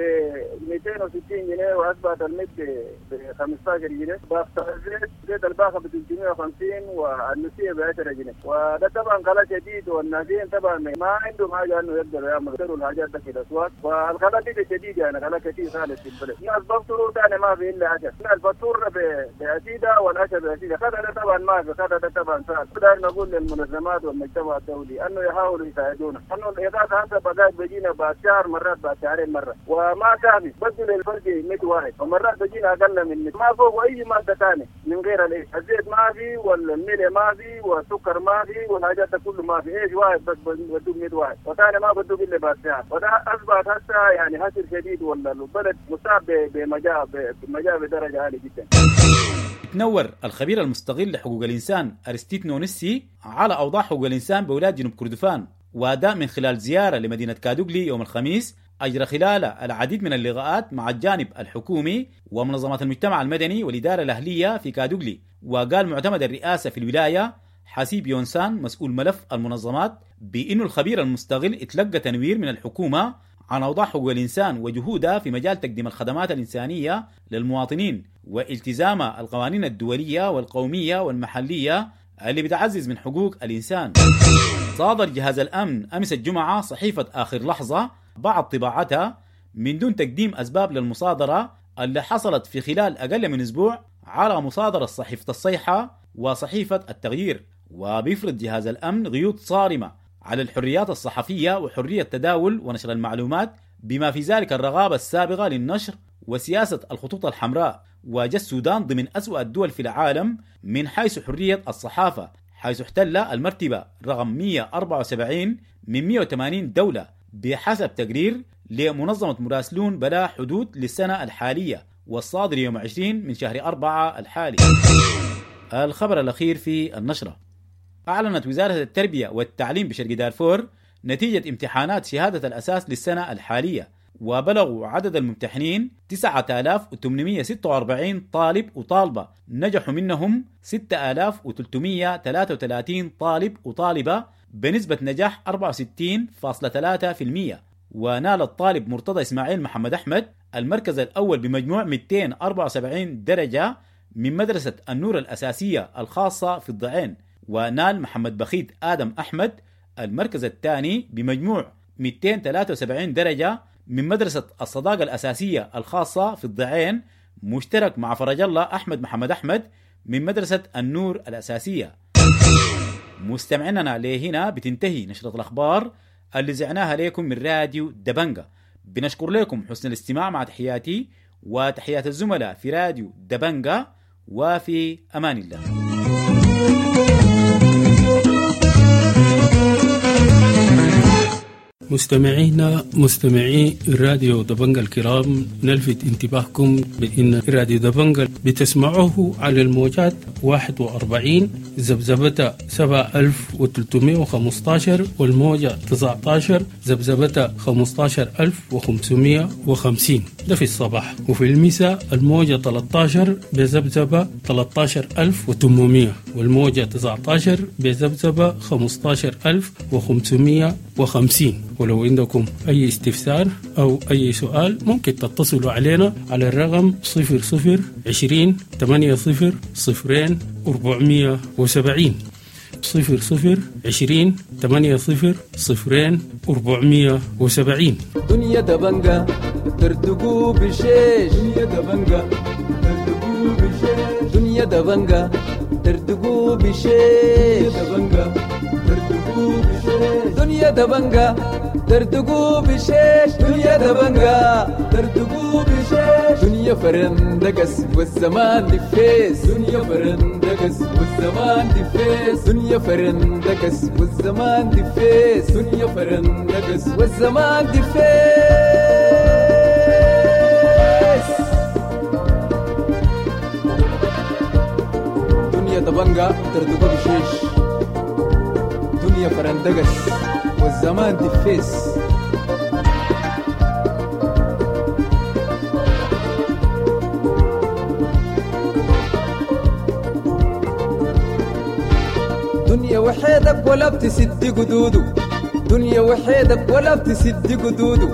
مئتين وستين جنيه واصبحت الميت ب خمستاشر جنيه، باقة الزيت زيت الباقه ب ثلاثمية وخمسين والنسيه ب عشرة جنيه. وده طبعا غلاء شديد، والنازين طبعا ما عندهم حاجة انه يقدروا يعملوا يشتروا الحاجات ده في الاسواق، والغلاء دي شديد يعني غلاء كثير خالص في البلد. الناس بفطروا ثاني ما في الا عشاء، الفطور بعسيده والعشاء بعسيده، خدها ده طبعا ما في، خدها ده طبعا صعب. داير نقول للمنظمات والمجتمع الدولي انه يحاولوا يساعدونا، انه الاغاثة هسه بقت بيجينا بعد شهر مرات بعد شهرين مرة وما كافي، بدل الفرق مية واحد ومرات بيجينا اقل من مية، ما فوق اي مادة ثانية من غير الايش، الزيت ما في والملح ما في والسكر ما في والحاجات ده كله ما في، ايش واحد بس بدوق مية واحد وثاني ما بدوق الا بعد ساعة. وده اصبحت هسه يعني حسر شديد، ولا البلد مصاب بمجاعه بمجاعه بدرجة عالية جدا. تنور الخبير المستغل لحقوق الانسان ارستيت نونسي على اوضاع حقوق الانسان بولاية جنوب كردفان، واداء من خلال زيارة لمدينة كادوغلي يوم الخميس أجرى خلالها العديد من اللقاءات مع الجانب الحكومي ومنظمات المجتمع المدني والإدارة الأهلية في كادوغلي. وقال معتمد الرئاسة في الولاية حسيب يونسان مسؤول ملف المنظمات بأنه الخبير المستغل اتلقى تنوير من الحكومة عن أوضاع حقوق الإنسان وجهودها في مجال تقديم الخدمات الإنسانية للمواطنين والتزام القوانين الدولية والقومية والمحلية اللي بتعزز من حقوق الإنسان. صادر جهاز الأمن أمس الجمعة صحيفة آخر لحظة بعض طباعتها من دون تقديم أسباب للمصادرة اللي حصلت في خلال أقل من أسبوع على مصادرة صحيفة الصيحة وصحيفة التغيير. وبيفرض جهاز الأمن قيود صارمة على الحريات الصحفية وحرية التداول ونشر المعلومات بما في ذلك الرغابة السابقة للنشر وسياسة الخطوط الحمراء. وجاء السودان ضمن أسوأ الدول في العالم من حيث حرية الصحافة، حيث احتل المرتبة رقم مئة وأربعة وسبعين من مئة وثمانين دولة بحسب تقرير لمنظمة مراسلون بلا حدود للسنة الحالية والصادر يوم عشرين من شهر أربعة الحالي. الخبر الأخير في النشرة: أعلنت وزارة التربية والتعليم بشرق دارفور نتيجة امتحانات شهادة الأساس للسنة الحالية، وبلغوا عدد الممتحنين تسعة آلاف وثمانمئة وستة وأربعين طالب وطالبة، نجحوا منهم ستة آلاف وثلاثمئة وثلاثة وثلاثين طالب وطالبة بنسبة نجاح أربعة وستين فاصلة ثلاثة بالمئة. ونال الطالب مرتضى إسماعيل محمد أحمد المركز الأول بمجموع مئتين وأربعة وسبعين درجة من مدرسة النور الأساسية الخاصة في الضعين، ونال محمد بخيت آدم أحمد المركز الثاني بمجموع مئتين وثلاثة وسبعين درجة من مدرسة الصداقة الأساسية الخاصة في الضعين، مشترك مع فرج الله أحمد محمد أحمد من مدرسة النور الأساسية. مستمعيننا لهنا بتنتهي نشرة الأخبار اللي زعناها لكم من راديو دبنجا. بنشكر لكم حسن الاستماع، مع تحياتي وتحيات الزملاء في راديو دبنجا، وفي أمان الله. مستمعينا مستمعي راديو دبنجا الكرام، نلفت انتباهكم بأن راديو دبنجا بتسمعوه على الموجات واحد وأربعين ذبذبة سبعة ألف وثلاثمائة وخمستاشر والموجة تسعتاشر ذبذبة خمستاشر ألف وخمسمائة وخمسين، ده في الصباح، وفي المساء الموجة ثلاثتاشر بذبذبة ثلاثتاشر ألف وثمانمائة والموجة تسعتاشر بذبذبة خمستاشر ألف وخمسمائة وخمسين. ولو عندكم أي استفسار أو أي سؤال ممكن تتصلوا علينا على الرقم صفر صفر عشرين ثمانية صفر صفرين أربعمية وسبعين، صفر صفر عشرين ثمانية صفر صفرين أربعمية وسبعين. دنيا دبنجة ترتقو بشيش، دنيا دبنجة ترتقو بشيش، دنيا دبنجة ترتقو بشيش، دبنجة ترتقو بشيش، دنيا دبنجة ترتقو بشيش، دنيا دبنجة ترتقو بشيش، دنيا فرندقس والزمان دفيس، دنيا فرندقس والزمان دفيس، دنيا فرندقس والزمان دفيس، دنيا فرندقس والزمان دفيس. دنيا دبنجة ترتقو بشيش، دنيا فرندقس والزمان دفيس. دنيا وحيدك ولا بتسد قدوده، دنيا وحيدك ولا بتسد قدوده،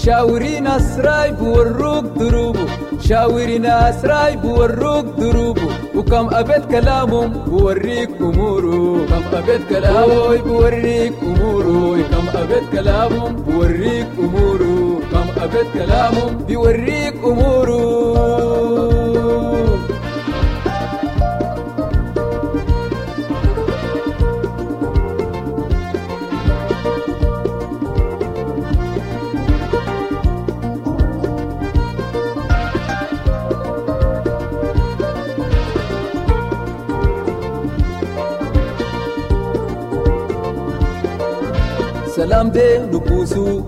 شاوري ناس رايب وروك دروبه، شاوري ناس رايب وروك دروبه، وكم أبيت كلامهم بوريك أموره، كم أبيت كلامه بوريك أموره، كم أبيت كلامهم بوريك أموره، كم أبيت كلامهم بيوريك أموره. سلام دي نكوسو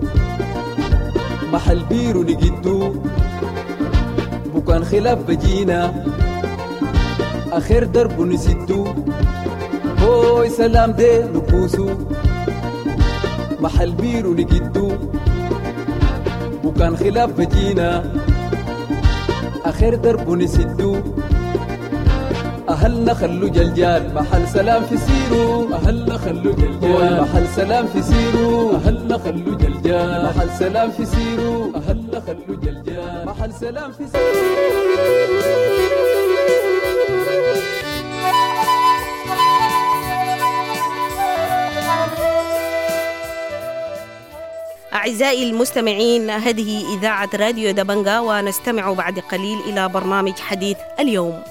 محل بيرو نجدو، بكان خلاف بجينا آخر درب نسدو، هوي سلام دي نكوسو محل بيرو نجدو، بكان خلاف بجينا آخر درب نسدو، أهلنا خلو جلجال محل سلام في سيرو، أهلنا خلو جلجال محل سلام في سيرو، أهلنا خلو جلجال محل سلام في سيرو، أهلنا خلو جلجال محل سلام في سيرو. أعزائي المستمعين، هذه إذاعة راديو دبنجا، ونستمع بعد قليل إلى برنامج حديث اليوم.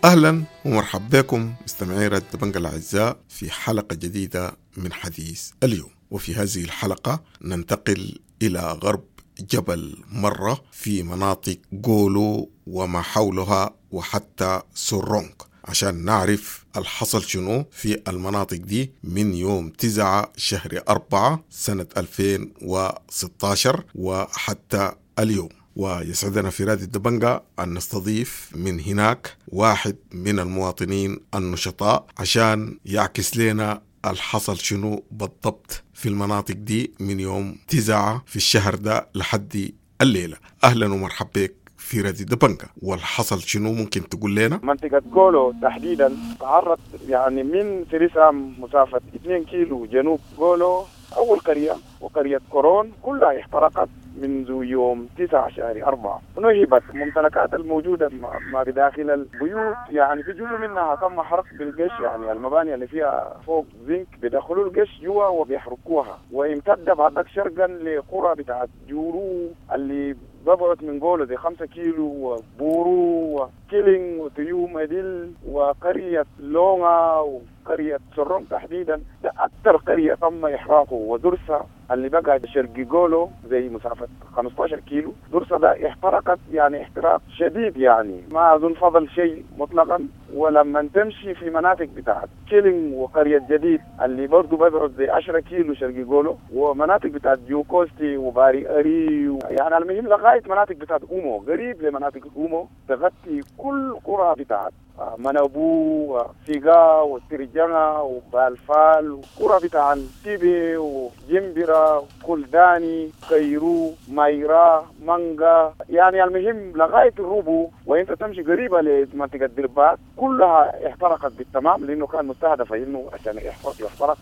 أهلا ومرحبا بكم مستمعي راديو دبنجا الأعزاء في حلقة جديدة من حديث اليوم. وفي هذه الحلقة ننتقل إلى غرب جبل مرة في مناطق جولو وما حولها وحتى سورونك عشان نعرف الحصل شنو في المناطق دي من يوم تسعة شهر أربعة سنة ألفين وستة عشر وحتى اليوم. ويسعدنا في راديو دبنجا أن نستضيف من هناك واحد من المواطنين النشطاء عشان يعكس لنا الحصل شنو بالضبط في المناطق دي من يوم تسعة في الشهر ده لحد الليلة. أهلا ومرحبا بك في راديو دبنجا، والحصل شنو ممكن تقول لنا؟ منطقة جولو تحديدا تعرض يعني من سريسام مسافة اثنين كيلو جنوب جولو، أول قرية وقرية كورون كلها احترقت منذ يوم تسعة شهر أربعة. نهبت الممتلكات الموجودة ما بداخل البيوت، يعني في جزء منها تم حرق بالقش، يعني المباني اللي فيها فوق زنك بيدخلوا القش جوا وبيحرقوها. وامتد بعدك شرقا لقرى بتاعت جورو اللي ببعد من قوله زي خمسة كيلو، وبورو وكيلينج وتيوم ديل وقرية لونغا وقرية سرون تحديدا. ده أكثر قرية تم إحراقه. ودرسة اللي بقى شرقي قولو زي مسافة خمسة عشر كيلو، درسة ده احترقت يعني احتراق شديد، يعني ما أظن فضل شيء مطلقا. ولما تمشي في مناطق بتاعت كيلينج وقرية جديد اللي برضو ببعد زي عشرة كيلو شرقي قولو، ومناطق بتاعت جوكوستي وباري أري و... يعني المهم لغاية مناطق بتاعت أومو، قريب لمناطق أومو تغطي كل قرى بتاعت منابو وسيغا وترجمة وبالفال، وقرى بتاع تيبي وجمبرة وكلداني كيرو مايرا مانجا، يعني المهم لغاية الروبو. وانت تمشي قريبة لمنطقة دربات كلها احترقت بالتمام، لأنه كان مستهدفة إنه عشان يحترق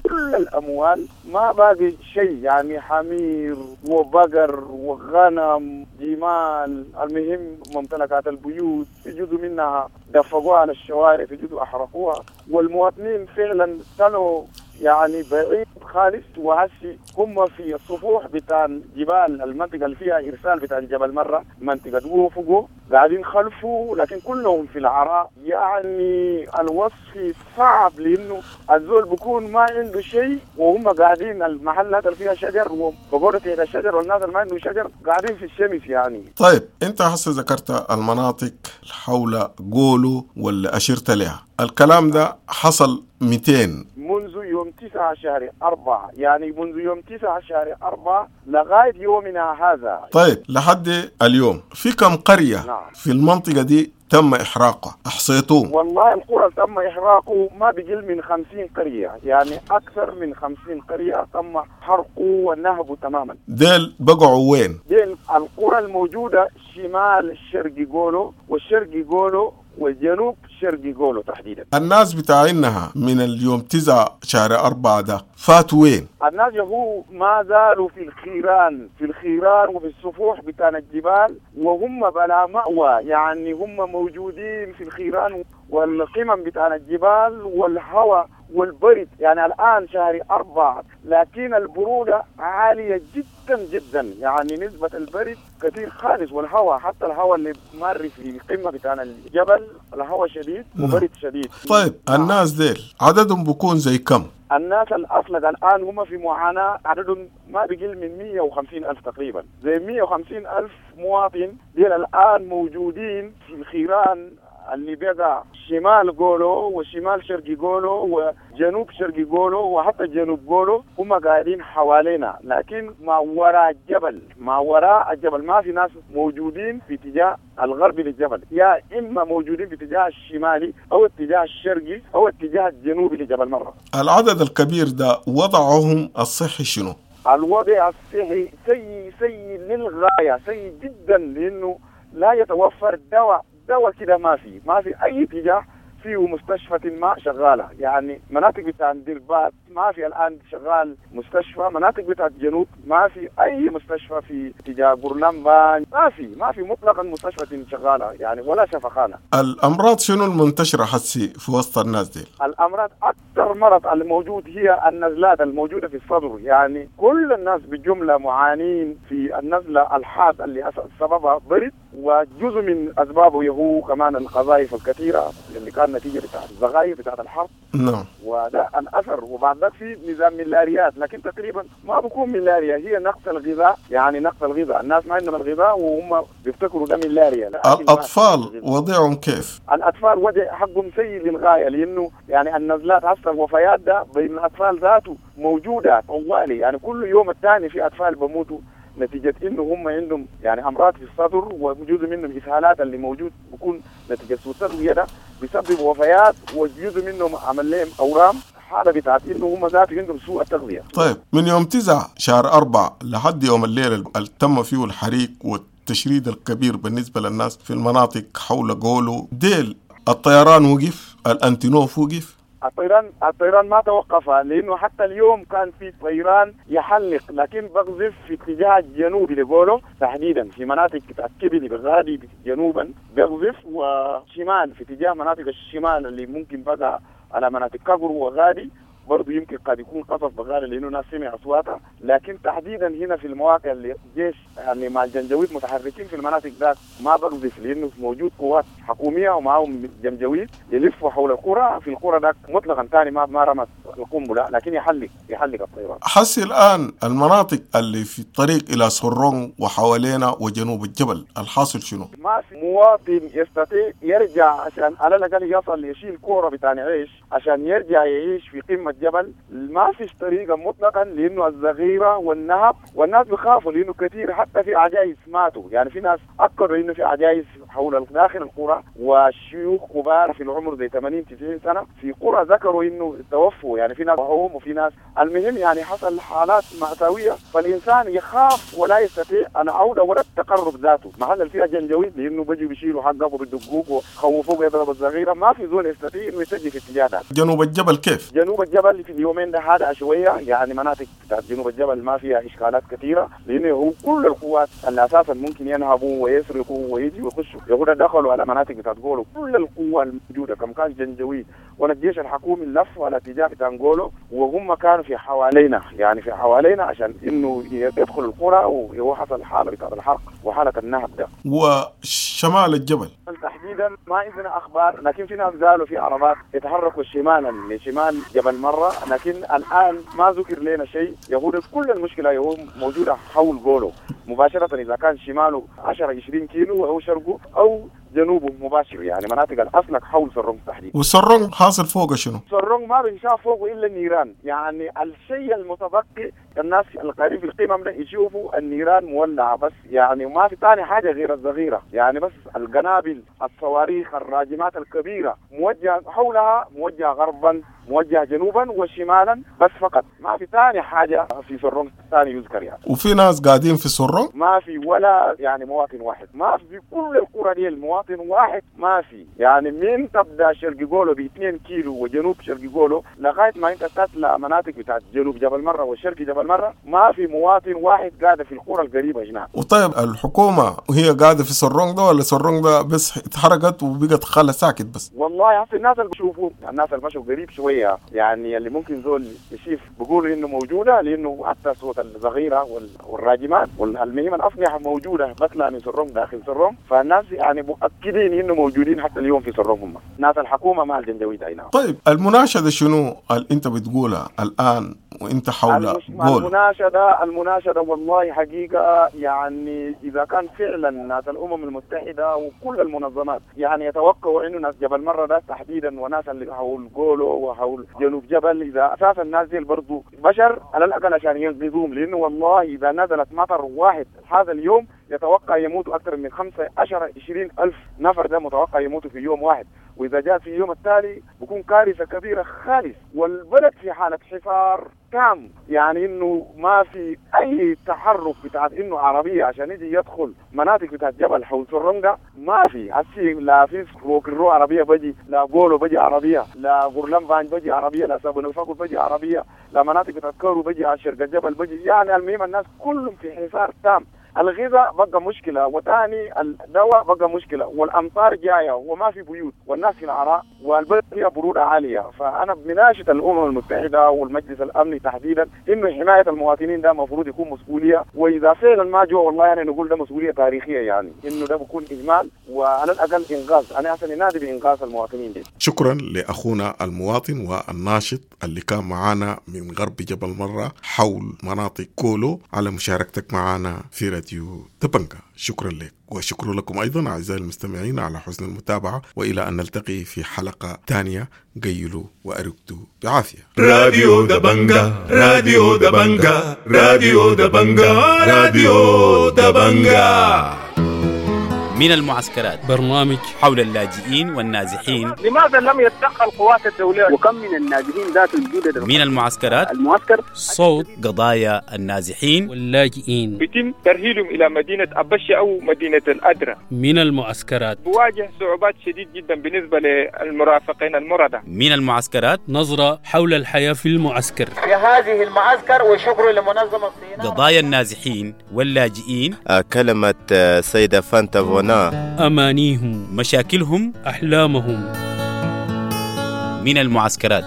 كل الأموال، ما باقي شيء، يعني حمير وبقر وغنم جمال، المهم ممتلكات البيوت في جزء منها دفقوها على الشوارع، في جزء أحرقوها. والمواطنين فعلا كانوا يعني بعيد خالص، وهسي هم في السفوح بتاع جبال المنطقة اللي فيها إرسال بتاع جبل مرة، منطقة وفقو قاعدين خلفوا، لكن كلهم في العراء. يعني الوصف صعب، لأنه الزول بيكون ما عنده شيء وهم قاعدين المحلات اللي فيها شجر وبقولوا تحت الشجر، والناس اللي ما عنده شجر قاعدين في الشمس يعني. طيب أنت هسه ذكرت المناطق حول قولو ولا أشرت لها، الكلام ده حصل مئتين منذ يوم تسعة شهر أربعة، يعني منذ يوم تسعة شهر أربعة لغاية يومنا هذا. طيب لحد اليوم في كم قرية نعم. في المنطقة دي تم إحراقها؟ أحصيتوه؟ والله القرى تم إحراقه ما بقل من خمسين قرية، يعني أكثر من خمسين قرية تم حرقه ونهبه تماما. ديل بقعوا وين؟ ديل القرى الموجودة شمال الشرقي قولو والشرقي قولو والجنوب شرقي قولو تحديدا. الناس بتاعينها من اليوم تسعة شهر أربعة ده فاتوا وين؟ الناس هو ما زالوا في الخيران، في الخيران وفي السفوح بتاع الجبال، وهم بلا مأوى، يعني هم موجودين في الخيران والقمم بتاع الجبال والهواء والبرد. يعني الآن شهر أربعة لكن البرودة عالية جدا جدا، يعني نسبة البرد كثير خالص، والهواء حتى الهواء اللي مر في قمة بتاع الجبل الهواء شديد وبرد شديد. طيب الناس ديل عددهم بكون زي كم؟ الناس الأصلق الآن هم في معاناة، عددهم ما بيقل من مية وخمسين ألف تقريبا، زي مية وخمسين ألف مواطن ديل الآن موجودين في الخيران اللي بقى شمال قولو وشمال شرقي قولو وجنوب شرقي قولو وحتى جنوب قولو، هم قاعدين حوالينا، لكن ما وراء الجبل، ما وراء الجبل ما في ناس موجودين في اتجاه الغربي للجبل، يا إما موجودين في اتجاه الشمالي أو اتجاه الشرقي أو اتجاه الجنوبي لجبل مرة. العدد الكبير ده وضعهم الصحي شنو؟ الوضع الصحي سيء سيء للغاية، سيء جدا، لأنه لا يتوفر دواء، دواء كده ما في، ما في أي اتجاه فيه مستشفى ما شغالة، يعني مناطق بتاع دربات ما في الآن شغال مستشفى، مناطق بتاع الجنوب ما في أي مستشفى في اتجاه بورلمبان، ما في ما في مطلقا مستشفى شغالة يعني ولا شفخانة. الأمراض شنو المنتشرة حسي في وسط الناس دي؟ الأمراض أكثر مرض الموجود هي النزلات الموجودة في الصدر، يعني كل الناس بالجملة معانين في النزلة الحاد اللي سببها برد، وجزء من أسبابه هو كمان القذائف الكثيرة اللي كان نتيجة بتاعت الزغاير بتاعت الحرب. نعم. وده الأثر. وبعد ذلك في نظام ملاريات، لكن تقريبا ما بكون ملاريا، هي نقص الغذاء، يعني نقص الغذاء، الناس ما عندهم الغذاء وهم بيفتكروا ده ملاريا. الأطفال وضعهم كيف؟ الأطفال وضع حقهم سيء للغاية، لأنه يعني النزلات هسه الوفيات ده بين الأطفال ذاته موجودة طوالي، يعني كل يوم الثاني في أطفال بموتوا نتيجة إنه هم عندهم يعني أمراض في الصدر، وجزء منهم إسهالات اللي موجود بيكون نتيجة سوء التغذية ده بيسبب وفيات، وجزء منهم عمل لهم أورام، حالة بتاعت إنه هم ذاته عندهم سوء التغذية. طيب من يوم تسعة شهر أربعة لحد يوم الليل اللي تم فيه الحريق والتشريد الكبير بالنسبة للناس في المناطق حول قولو ديل، الطيران وقف، الأنتينوف وقف، الطيران الطيران ما توقف، لانه حتى اليوم كان في طيران يحلق، لكن بقذف في اتجاه الجنوبي لقولو تحديدا في مناطق بتاعت كبلي بغادي جنوبا بقذف، وشمال في اتجاه مناطق الشمال اللي ممكن بقى على مناطق كقر وغادي برضو يمكن قد يكون قصف بغالي لانه ناس سمع اصواتها. لكن تحديدا هنا في المواقع اللي الجيش يعني مع الجنجويد متحركين في المناطق ذاك ما بقذف، لانه موجود قوات حكوميه ومعهم جنجويد يلفوا حول القرى، في القرى ذاك مطلقا ثاني ما ما رمت القنبله، لكن يحلق يحلق الطيران. حسي الان المناطق اللي في الطريق الى سرون وحوالينا وجنوب الجبل الحاصل شنو؟ ما في مواطن يستطيع يرجع عشان على الاقل يصل يشيل كوره بتاع عيش عشان يرجع يعيش في قمه الجبل، ما فيش طريقه مطلقا، لانه الزغيره والنهب والناس بيخافوا، لانه كثير حتى في عجائز ماتوا، يعني في ناس اكدوا انه في عجائز حول داخل القرى وشيوخ كبار في العمر زي ثمانين تسعين سنه في قرى ذكروا انه توفوا، يعني في ناس وهم وفي ناس، المهم يعني حصل حالات مأساويه، فالانسان يخاف ولا يستطيع العوده ولا التقرب ذاته، محل فيها جنجويد لانه بيجوا بيشيلوا حقك وبيدقوك وخوفوك يضرب الزغيره، ما في زول يستطيع انه يتجه في اتجاه ذاته. جنوب الجبل كيف؟ جنوب الجبل في اليومين ده هذا شويه، يعني مناطق بتاعت جنوب الجبل ما فيها اشكالات كثيره، لانه هو كل القوات اللي اساسا ممكن ينهبوا ويسرقوا ويجوا ويخشوا يقولوا دخلوا على مناطق بتاعت جولو، كل القوه الموجوده كم كان جنجويد ولا الجيش الحكومي لفوا على اتجاه بتاع جولو، وهم كانوا في حوالينا، يعني في حوالينا عشان انه يدخلوا القرى، وهو حصل حاله بتاعت الحرق وحاله النهب ده. وشمال الجبل تحديدا ما عندنا اخبار، لكن في ناس قالوا في عربات يتحركوا شمالا لشمال جبل مره، لكن الان ما ذكر لنا شيء. يقول كل المشكله يهو موجوده حول جولو مباشره، اذا كان شماله عشرة عشرين كيلو او شرقه او جنوبه مباشر، يعني مناطق الأسلك حول سرونج تحديدا. وسرونج حاصل فوقه شنو؟ سرونج ما بنشاف فوقه الا النيران، يعني الشيء المتبقي الناس القريب في القمم ده يشوفوا النيران مولعه بس، يعني ما في ثاني حاجه غير الصغيره، يعني بس القنابل الصواريخ الراجمات الكبيره موجهه حولها، موجهه غربا موجهه جنوبا وشمالا بس فقط، ما في ثاني حاجه في سرونج ثاني يذكر يعني. وفي ناس قاعدين في سرونج؟ ما في ولا يعني مواطن واحد، ما في كل القرى دي المواطن واحد ما في، يعني من تبدا شرق جولو ب اثنين كيلو وجنوب شرق جولو لغايه ما انت تطلع مناطق بتاعت جنوب جبل مره وشرق جبل مره ما في مواطن واحد قاعد في القرى القريبه هناك. وطيب الحكومه وهي قاعده في سرونج ده ولا سرونج ده بس اتحرقت وبقت خالة ساكت بس؟ والله هسه الناس اللي بيشوفوا الناس اللي مشوا قريب شويه، يعني اللي ممكن زول يشوف بيقولوا انه موجوده، لانه حتى صوت الصغيره والراجمات والمهم الاسلحه موجوده بطلع من سرونج داخل سرونج، فالناس يعني مؤكدين انه موجودين حتى اليوم في سرونج هم ناس الحكومه مع الجنجويد. اي نعم. طيب المناشده شنو اللي انت بتقولها الان وانت حول جول؟ المناشده المناشده والله حقيقه يعني اذا كان فعلا ناس الامم المتحده وكل المنظمات يعني يتوقعوا انه ناس جبل مره ده تحديدا وناس اللي حول جولو وحول جنوب جبل، اذا اساسا الناس دي برضه بشر على الاقل عشان ينقذوهم، لانه والله اذا نزلت مطر واحد هذا اليوم يتوقع يموتوا اكثر من خمسة عشر عشرين ألف نفر، ده متوقع يموتوا في يوم واحد، واذا جاء في اليوم التالي بكون كارثه كبيره خالص، والبلد في حاله حصار تام، يعني انه ما في اي تحرك بتاعت انه عربيه عشان يجي يدخل مناطق بتاعت جبل حول سرنجة ما في، هسي لا في روكرو عربيه بجي، لا جولو بجي عربيه، لا غورلمبان بجي عربيه، لا سابونوفاكو بجي عربيه، لا مناطق بتاعت كورو بجي على شرق الجبل بجي، يعني المهم الناس كلهم في حصار تام. الغذاء بقى مشكلة، وثاني الدواء بقى مشكلة، والأمطار جاية وما في بيوت والناس في العراء والبلد فيها برودة عالية. فأنا بناشد الأمم المتحدة والمجلس الأمني تحديدا إنه حماية المواطنين ده المفروض يكون مسؤولية، وإذا فعلا ما جوا والله يعني نقول ده مسؤولية تاريخية، يعني إنه ده بيكون إجمال وعلى الأقل إنقاذ. أنا أصلا نادي بإنقاذ المواطنين دي. شكرا لأخونا المواطن والناشط اللي كان معانا من غرب جبل مرة حول مناطق كولو على مشاركتك معنا في راديو دبنجا. شكرا لك، وشكرا لكم أيضا أعزائي المستمعين على حسن المتابعة، وإلى أن نلتقي في حلقة تانية. قيلوا وأرقدوا بعافية. راديو دبنجا، راديو دبنجا، راديو دبنجا، راديو دبنجا. من المعسكرات، برنامج حول اللاجئين والنازحين. لماذا لم يتدخل القوات الدولية؟ وكم من النازحين ذات الجودة من المعسكرات، المعسكر صوت قضايا النازحين واللاجئين. يتم ترحيلهم إلى مدينة أبشة أو مدينة الأدرة. من المعسكرات بواجه صعوبات شديد جدا بالنسبة للمرافقين المرضى. من المعسكرات، نظرة حول الحياة في المعسكر، في هذه المعسكر، وشكر لمنظمة الصين. قضايا النازحين واللاجئين، كلمة سيدة فانتا فونا، أمانيهم، مشاكلهم، أحلامهم. من المعسكرات.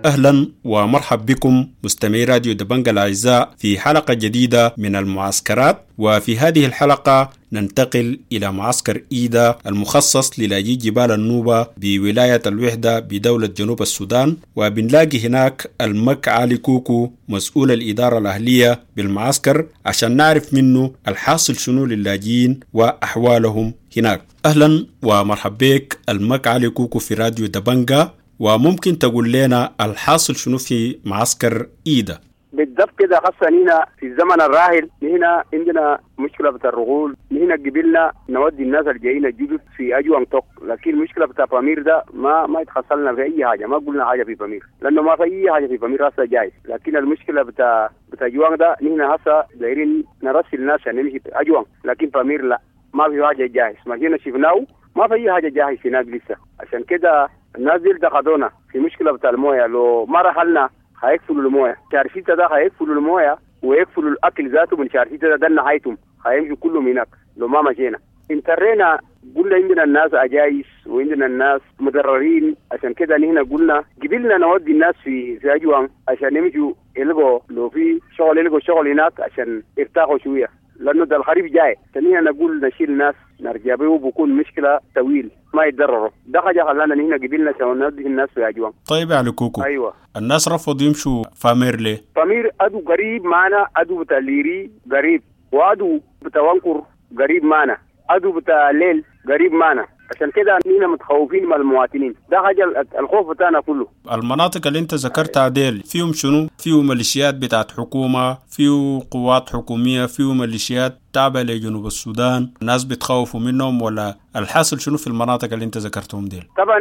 أهلا ومرحب بكم مستمعي راديو دبنجا الأعزاء في حلقة جديدة من المعسكرات. وفي هذه الحلقة ننتقل إلى معسكر إيدا المخصص للاجئي جبال النوبة بولاية الوحدة بدولة جنوب السودان، وبنلاقي هناك المك علي كوكو مسؤول الإدارة الأهلية بالمعسكر عشان نعرف منه الحاصل شنو للاجئين وأحوالهم هناك. أهلا ومرحب بك المك علي كوكو في راديو دبنجا، وممكن تقول لنا الحاصل شنو في معسكر إيدا؟ بالضبط كده، خاصة هنا في الزمن الراهن هنا عندنا مشكلة بتاع الرغول. هنا قبلنا نودي الناس الجايين الجدد في أجوان توك، لكن المشكلة بتاع بامير ده ما ما يتخصلنا في أي حاجة، ما قلنا حاجة في بامير لأنه ما في أي حاجة في بامير هسه جاي. لكن المشكلة بتاع بتاع أجوان ده نحن هسه دايرين نرسل الناس عشان نمشي أجوان، لكن بامير لا، ما في حاجة جاهز. ما جينا شفناه ما في أي حاجة جاهز هناك لسه. عشان كده الناس دي دخلونا في مشكلة بتاع المويه، لو ما رحلنا هيقفلوا المويه. شهر ستة ده هيقفلوا المويه ويقفلوا الاكل ذاته من شهر ستة ده, ده نهايتهم، هيمشوا كلهم هناك لو ما مشينا. انترينا قلنا عندنا الناس عجايز وعندنا الناس مضررين، عشان كده نحن قلنا قبلنا نودي الناس في في اجوان عشان يمشوا يلقوا لو في شغل يلقوا شغل هناك عشان يرتاحوا شوية، لانه ده الخريف جاي. ثانيا نقول نشيل الناس نرجع به بكون مشكلة طويل ما يتضرروا. ده حاجة خلانا نحن قبلنا عشان نودي الناس في اجوان. طيب يا علي كوكو، ايوه، الناس رفضوا يمشوا فامير ليه؟ فامير ادو قريب معنا، ادو بتاع ليري قريب، وادو بتاع وانكر قريب معنا، ادو بتاع ليل قريب معنا. عشان كده نحن متخوفين من المواطنين، ده حاجة الخوف بتاعنا كله. المناطق اللي انت ذكرتها ديل فيهم شنو؟ فيه ميليشيات بتاعت حكومة، فيه قوات حكومية، فيه ميليشيات تابعه لجنوب السودان، الناس بتخوفوا منهم ولا الحاصل شنو في المناطق اللي انت ذكرتهم ديل؟ طبعا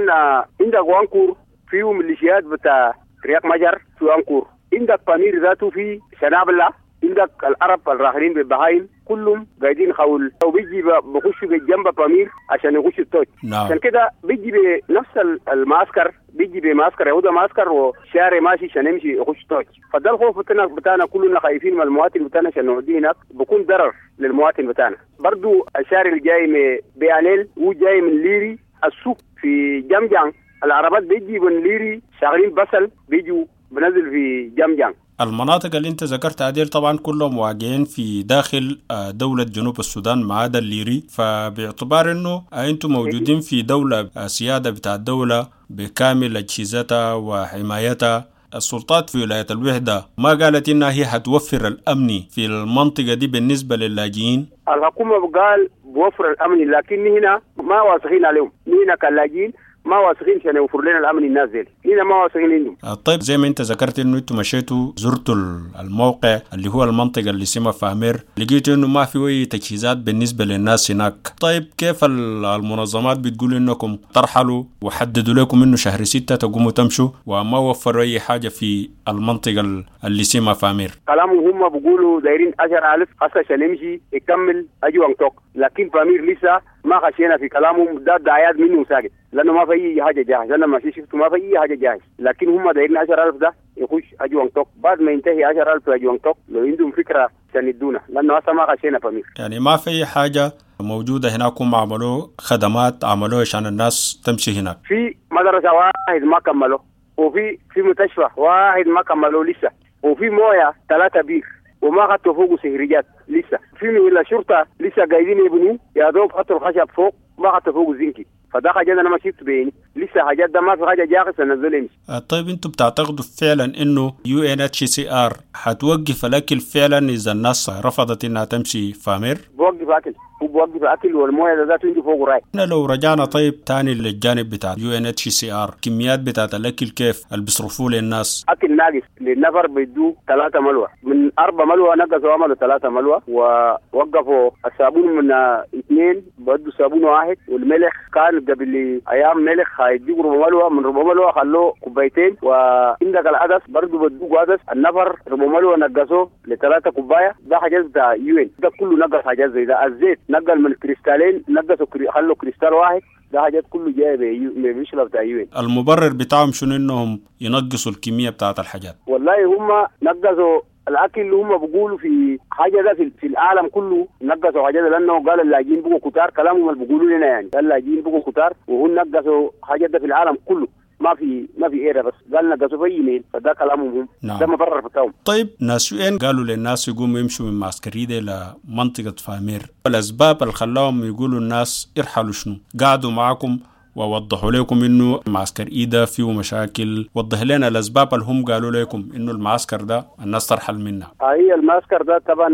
عندك وانكور فيه ميليشيات بتاع رياك مجر في وانكور، عندك بامير ذاته في شنابلة، عندك العرب الراحلين بالبهايم كلهم قاعدين خول وبيجي بخشوا بالجنب بامير عشان يخشوا التوج. نعم. عشان كده بيجي بنفس المعسكر، بيجي بمعسكر يهودا معسكر وشارع ماشي عشان يمشي يخش توج. فده الخوف بتاعنا بتاعنا كلنا خايفين من المواطن بتاعنا عشان نوديه هناك بكون ضرر للمواطن بتاعنا. برضو الشارع اللي جاي من بياليل وجاي من ليري السوق في جمجان، العربات بيجي من ليري شغالين بصل بيجوا بنزل في جمجان. المناطق اللي انت ذكرتها ديل طبعا كلهم واقعين في داخل دولة جنوب السودان ما عدا الليري، فباعتبار انه انتم موجودين في دولة سيادة بتاع الدولة بكامل اجهزتها وحمايتها، السلطات في ولاية الوحدة ما قالت انها هي هتوفر الامن في المنطقة دي بالنسبة للاجئين؟ الحكومة قال بوفر الامن، لكن هنا ما واثقين عليهم. هنا كلاجئين ما واثقين عشان يوفر لنا الامن الناس ديل، هنا ما واثقين عندهم. طيب زي ما انت ذكرت انه انتم مشيتوا زرتوا الموقع اللي هو المنطقة اللي اسمها فامير، لقيتوا انه ما في اي تجهيزات بالنسبة للناس هناك. طيب كيف المنظمات بتقول انكم ترحلوا وحددوا لكم انه شهر ستة تقوموا تمشوا وما وفروا اي حاجة في المنطقة اللي اسمها فامير؟ كلامهم هم بيقولوا دايرين عشرة آلاف هسه عشان يمشي يكمل اجوان توك، لكن فامير لسه ما خشينا في كلامهم ده دعايات منه ساكت، لانه ما في اي حاجة جاهز. انا ما شفته ما في اي حاجة جاهز، لكن هم دايرين عشرة آلاف ده يخش اجوان توك. بعد ما ينتهي عشرة آلاف اجوان توك لو عندهم فكرة عشان يدونا، لانه هسه ما خشينا فامير. يعني ما في اي حاجة موجودة هناك، هم عملوا خدمات عملوه عشان الناس تمشي هناك. في مدرسه واحد ما كملوا، وفي في مستشفى واحد ما كملوا لسه، وفي مويه ثلاثة بير وما خدتوا فوقه سهريات لسه، في من الشرطة لسه قاعدين يبنوا يا دوب خدتوا الخشب فوق ما خدتوا فوقه زنكي. فده حاجة انا ما شفت بعيني لسه، حاجات ده ما في حاجة جاهزة نزل يمشي. طيب انتم بتعتقدوا فعلا انه يو ان اتش سي ار حتوقف الاكل فعلا اذا الناس رفضت انها تمشي فامير؟ بوقف بيوقف اكل، هو بيوقف اكل والمويه ده ذاته عنده فوق راي. احنا لو رجعنا طيب تاني للجانب بتاع يو ان اتش سي ار، كميات بتاعت الاكل كيف اللي بيصرفوه للناس؟ اكل ناقص للنفر بيدوه ثلاثة ملوى، من أربعة ملوى نقصوا عملوا ثلاثة ملوى، ووقفوا الصابون من اثنين بدوا صابون واحد، والملح كان قبل ايام ملح هيديك ربع ملوى، من ربع ملوى خلوه كوبايتين، وعندك العدس برضه بدوه عدس النفر ربع ملوى نقصوه لثلاثة كوباية. ده حاجات بتاع UN ده كله نقص حاجات زي ده. الزيت نقل من كريستالين نقصوا كري... خلوا كريستال واحد. ده حاجات كله جاية بمشكلة بتاع UN. المبرر بتاعهم شنو انهم ينقصوا الكمية بتاعت الحاجات؟ والله هم نقصوا الاكل اللي هم بيقولوا في حاجة ده في, في العالم كله نقصوا حاجة ده، لانه قال اللاجئين بقوا كتار، كلامهم اللي بيقولوا لنا يعني قال اللاجئين بقوا كتار وهم نقصوا حاجة ده في العالم كله، ما في ما في ايرا بس قال نقصوا في ايميل، فده كلامهم هم. نعم. ده مبرر بتاعهم. طيب ناس UN قالوا للناس يقوموا يمشوا من معسكر إيدا لمنطقه فامير، الاسباب اللي خلاهم يقولوا الناس ارحلوا شنو؟ قعدوا معاكم ووضحوا لكم انه معسكر إيدا فيه مشاكل، وضح لنا الاسباب اللي هم قالوا لكم انه المعسكر ده الناس ترحل منه. هي المعسكر ده طبعا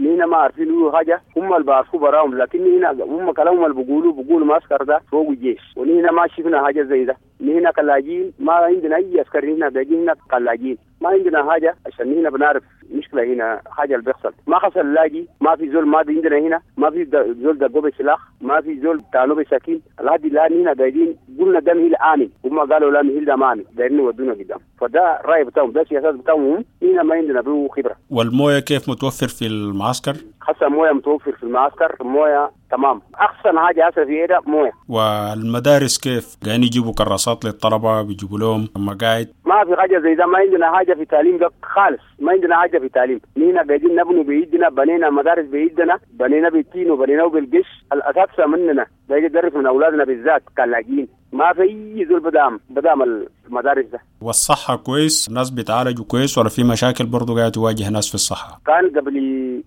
نينا ما عارفين له حاجة، هم اللي بعرفوا براهم، لكن هنا هم كلامهم اللي بيقولوا بيقولوا المعسكر ده فوق الجيش، ونحن ما شفنا حاجة زي ده. نحن كلاجين ما عندنا اي عسكري هنا، باقي هنا كلاجين ما عندنا حاجة، عشان هنا بنعرف مشكلة هنا حاجة اللي بيحصل. ما حصل لاجي، ما في زول ماضي عندنا هنا، ما في زول دقوا بسلاح، ما في زول تانو بسكين، لحد الان هنا قاعدين قلنا ده مهل امن، هم قالوا لا مهل ده ما امن، دايرين يودونا قدام. فده الراي بتاعهم، ده السياسات بتاعهم، هنا ما عندنا به خبره. والمويه كيف متوفر في المعسكر؟ حسن مويه متوفر في المعسكر، مويه تمام، احسن حاجة هسه في ايدا مويه. والمدارس كيف؟ قاعدين يجيبوا كراسات للطلبة، بيجيبوا لهم مقاعد؟ ما في حاجة زي ده، ما عندنا حاجة في تعليم ده خالص، ما عندنا حاجة في تعليم. نحن قاعدين نبنوا بايدنا، بنينا مدارس بايدنا، بنينا بالتين وبنينا بالقش، الاساتذة مننا ده يدرس من اولادنا بالذات كلاجين، ما في اي زول بدام بدام المدارس ده. والصحة كويس؟ الناس بيتعالجوا كويس ولا في مشاكل برضو قاعدة تواجه ناس في الصحة؟ كان قبل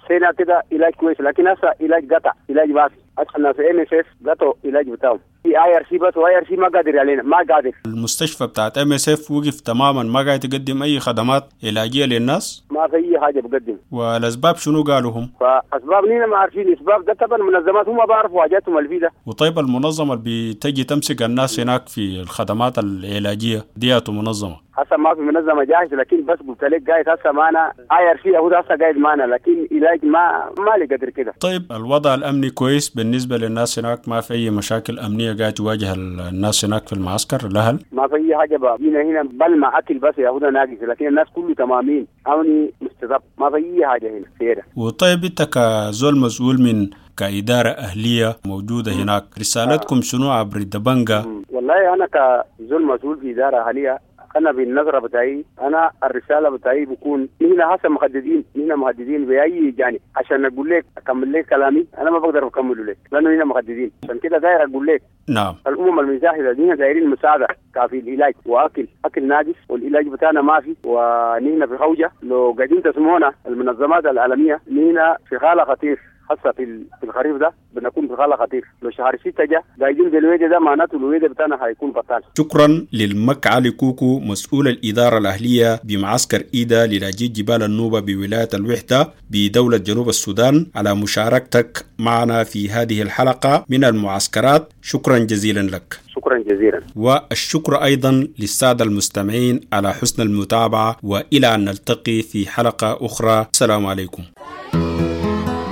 سنة كده علاج كويس، لكن هسه علاج قطع، علاج ما في. هسه الناس MSF قطعوا علاج بتاعهم في IRC بس، و IRC ما قادر علينا، ما قادر. المستشفى بتاعت MSF وقف تماما، ما قاعد تقدم اي خدمات علاجية للناس؟ ما في اي حاجة بقدم. والاسباب شنو قالوا هم؟ فاسباب نينا ما عارفين اسباب ده، طبعا المنظمات هم بعرفوا حاجاتهم اللي فيه ده. وطيب المنظمة اللي بتجي تمسك الناس هناك في الخدمات العلاجية دياتو منظمة؟ هسه ما في منظمة جاهزة، لكن بس قلت لك قاعد هسه معنا IRC هو هسه قاعد معنا، لكن علاج ما ما لي قدر كده. طيب الوضع الامني كويس بالنسبة للناس هناك؟ ما في اي مشاكل امنية قاعد تواجه الناس هناك في المعسكر الاهل؟ ما في اي حاجة بقى هنا هنا بل مع اكل بس يا هدى ناقص، لكن الناس كله تمامين امني مستضب، ما في اي حاجة هنا في. وطيب انت كزول مسؤول من كإدارة أهلية موجودة هناك، رسالتكم شنو عبر الدبنجة؟ والله أنا كزول مسؤول في إدارة أهلية، أنا بالنظرة بتاعي، أنا الرسالة بتاعي بكون نحن هسه مهددين، نحن مهددين بأي جانب. عشان أقول لك أكمل لك كلامي أنا ما بقدر أكمله لك، لأنه هنا مهددين. عشان كده داير أقول لك نعم الأمم المتحدة دي دايرين مساعدة كافي العلاج وأكل، أكل ناقص والعلاج بتاعنا ما في، ونحن في خوجة. لو قاعدين تسمعونا المنظمات العالمية، نحن في حالة خطير هسه في الخريف ده بنكون في حالة خطير. لو شهر ستة جا قاعدين بالويدة ده معناته الويدة بتاعنا هيكون بطال. شكرا للمك علي كوكو مسؤول الإدارة الأهلية بمعسكر إيدا للاجئي جبال النوبة بولاية الوحدة بدولة جنوب السودان على مشاركتك معنا في هذه الحلقة من المعسكرات. شكرا جزيلا لك. شكرا جزيلا. والشكر أيضا للسادة المستمعين على حسن المتابعة، وإلى أن نلتقي في حلقة أخرى. السلام عليكم.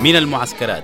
من المعسكرات.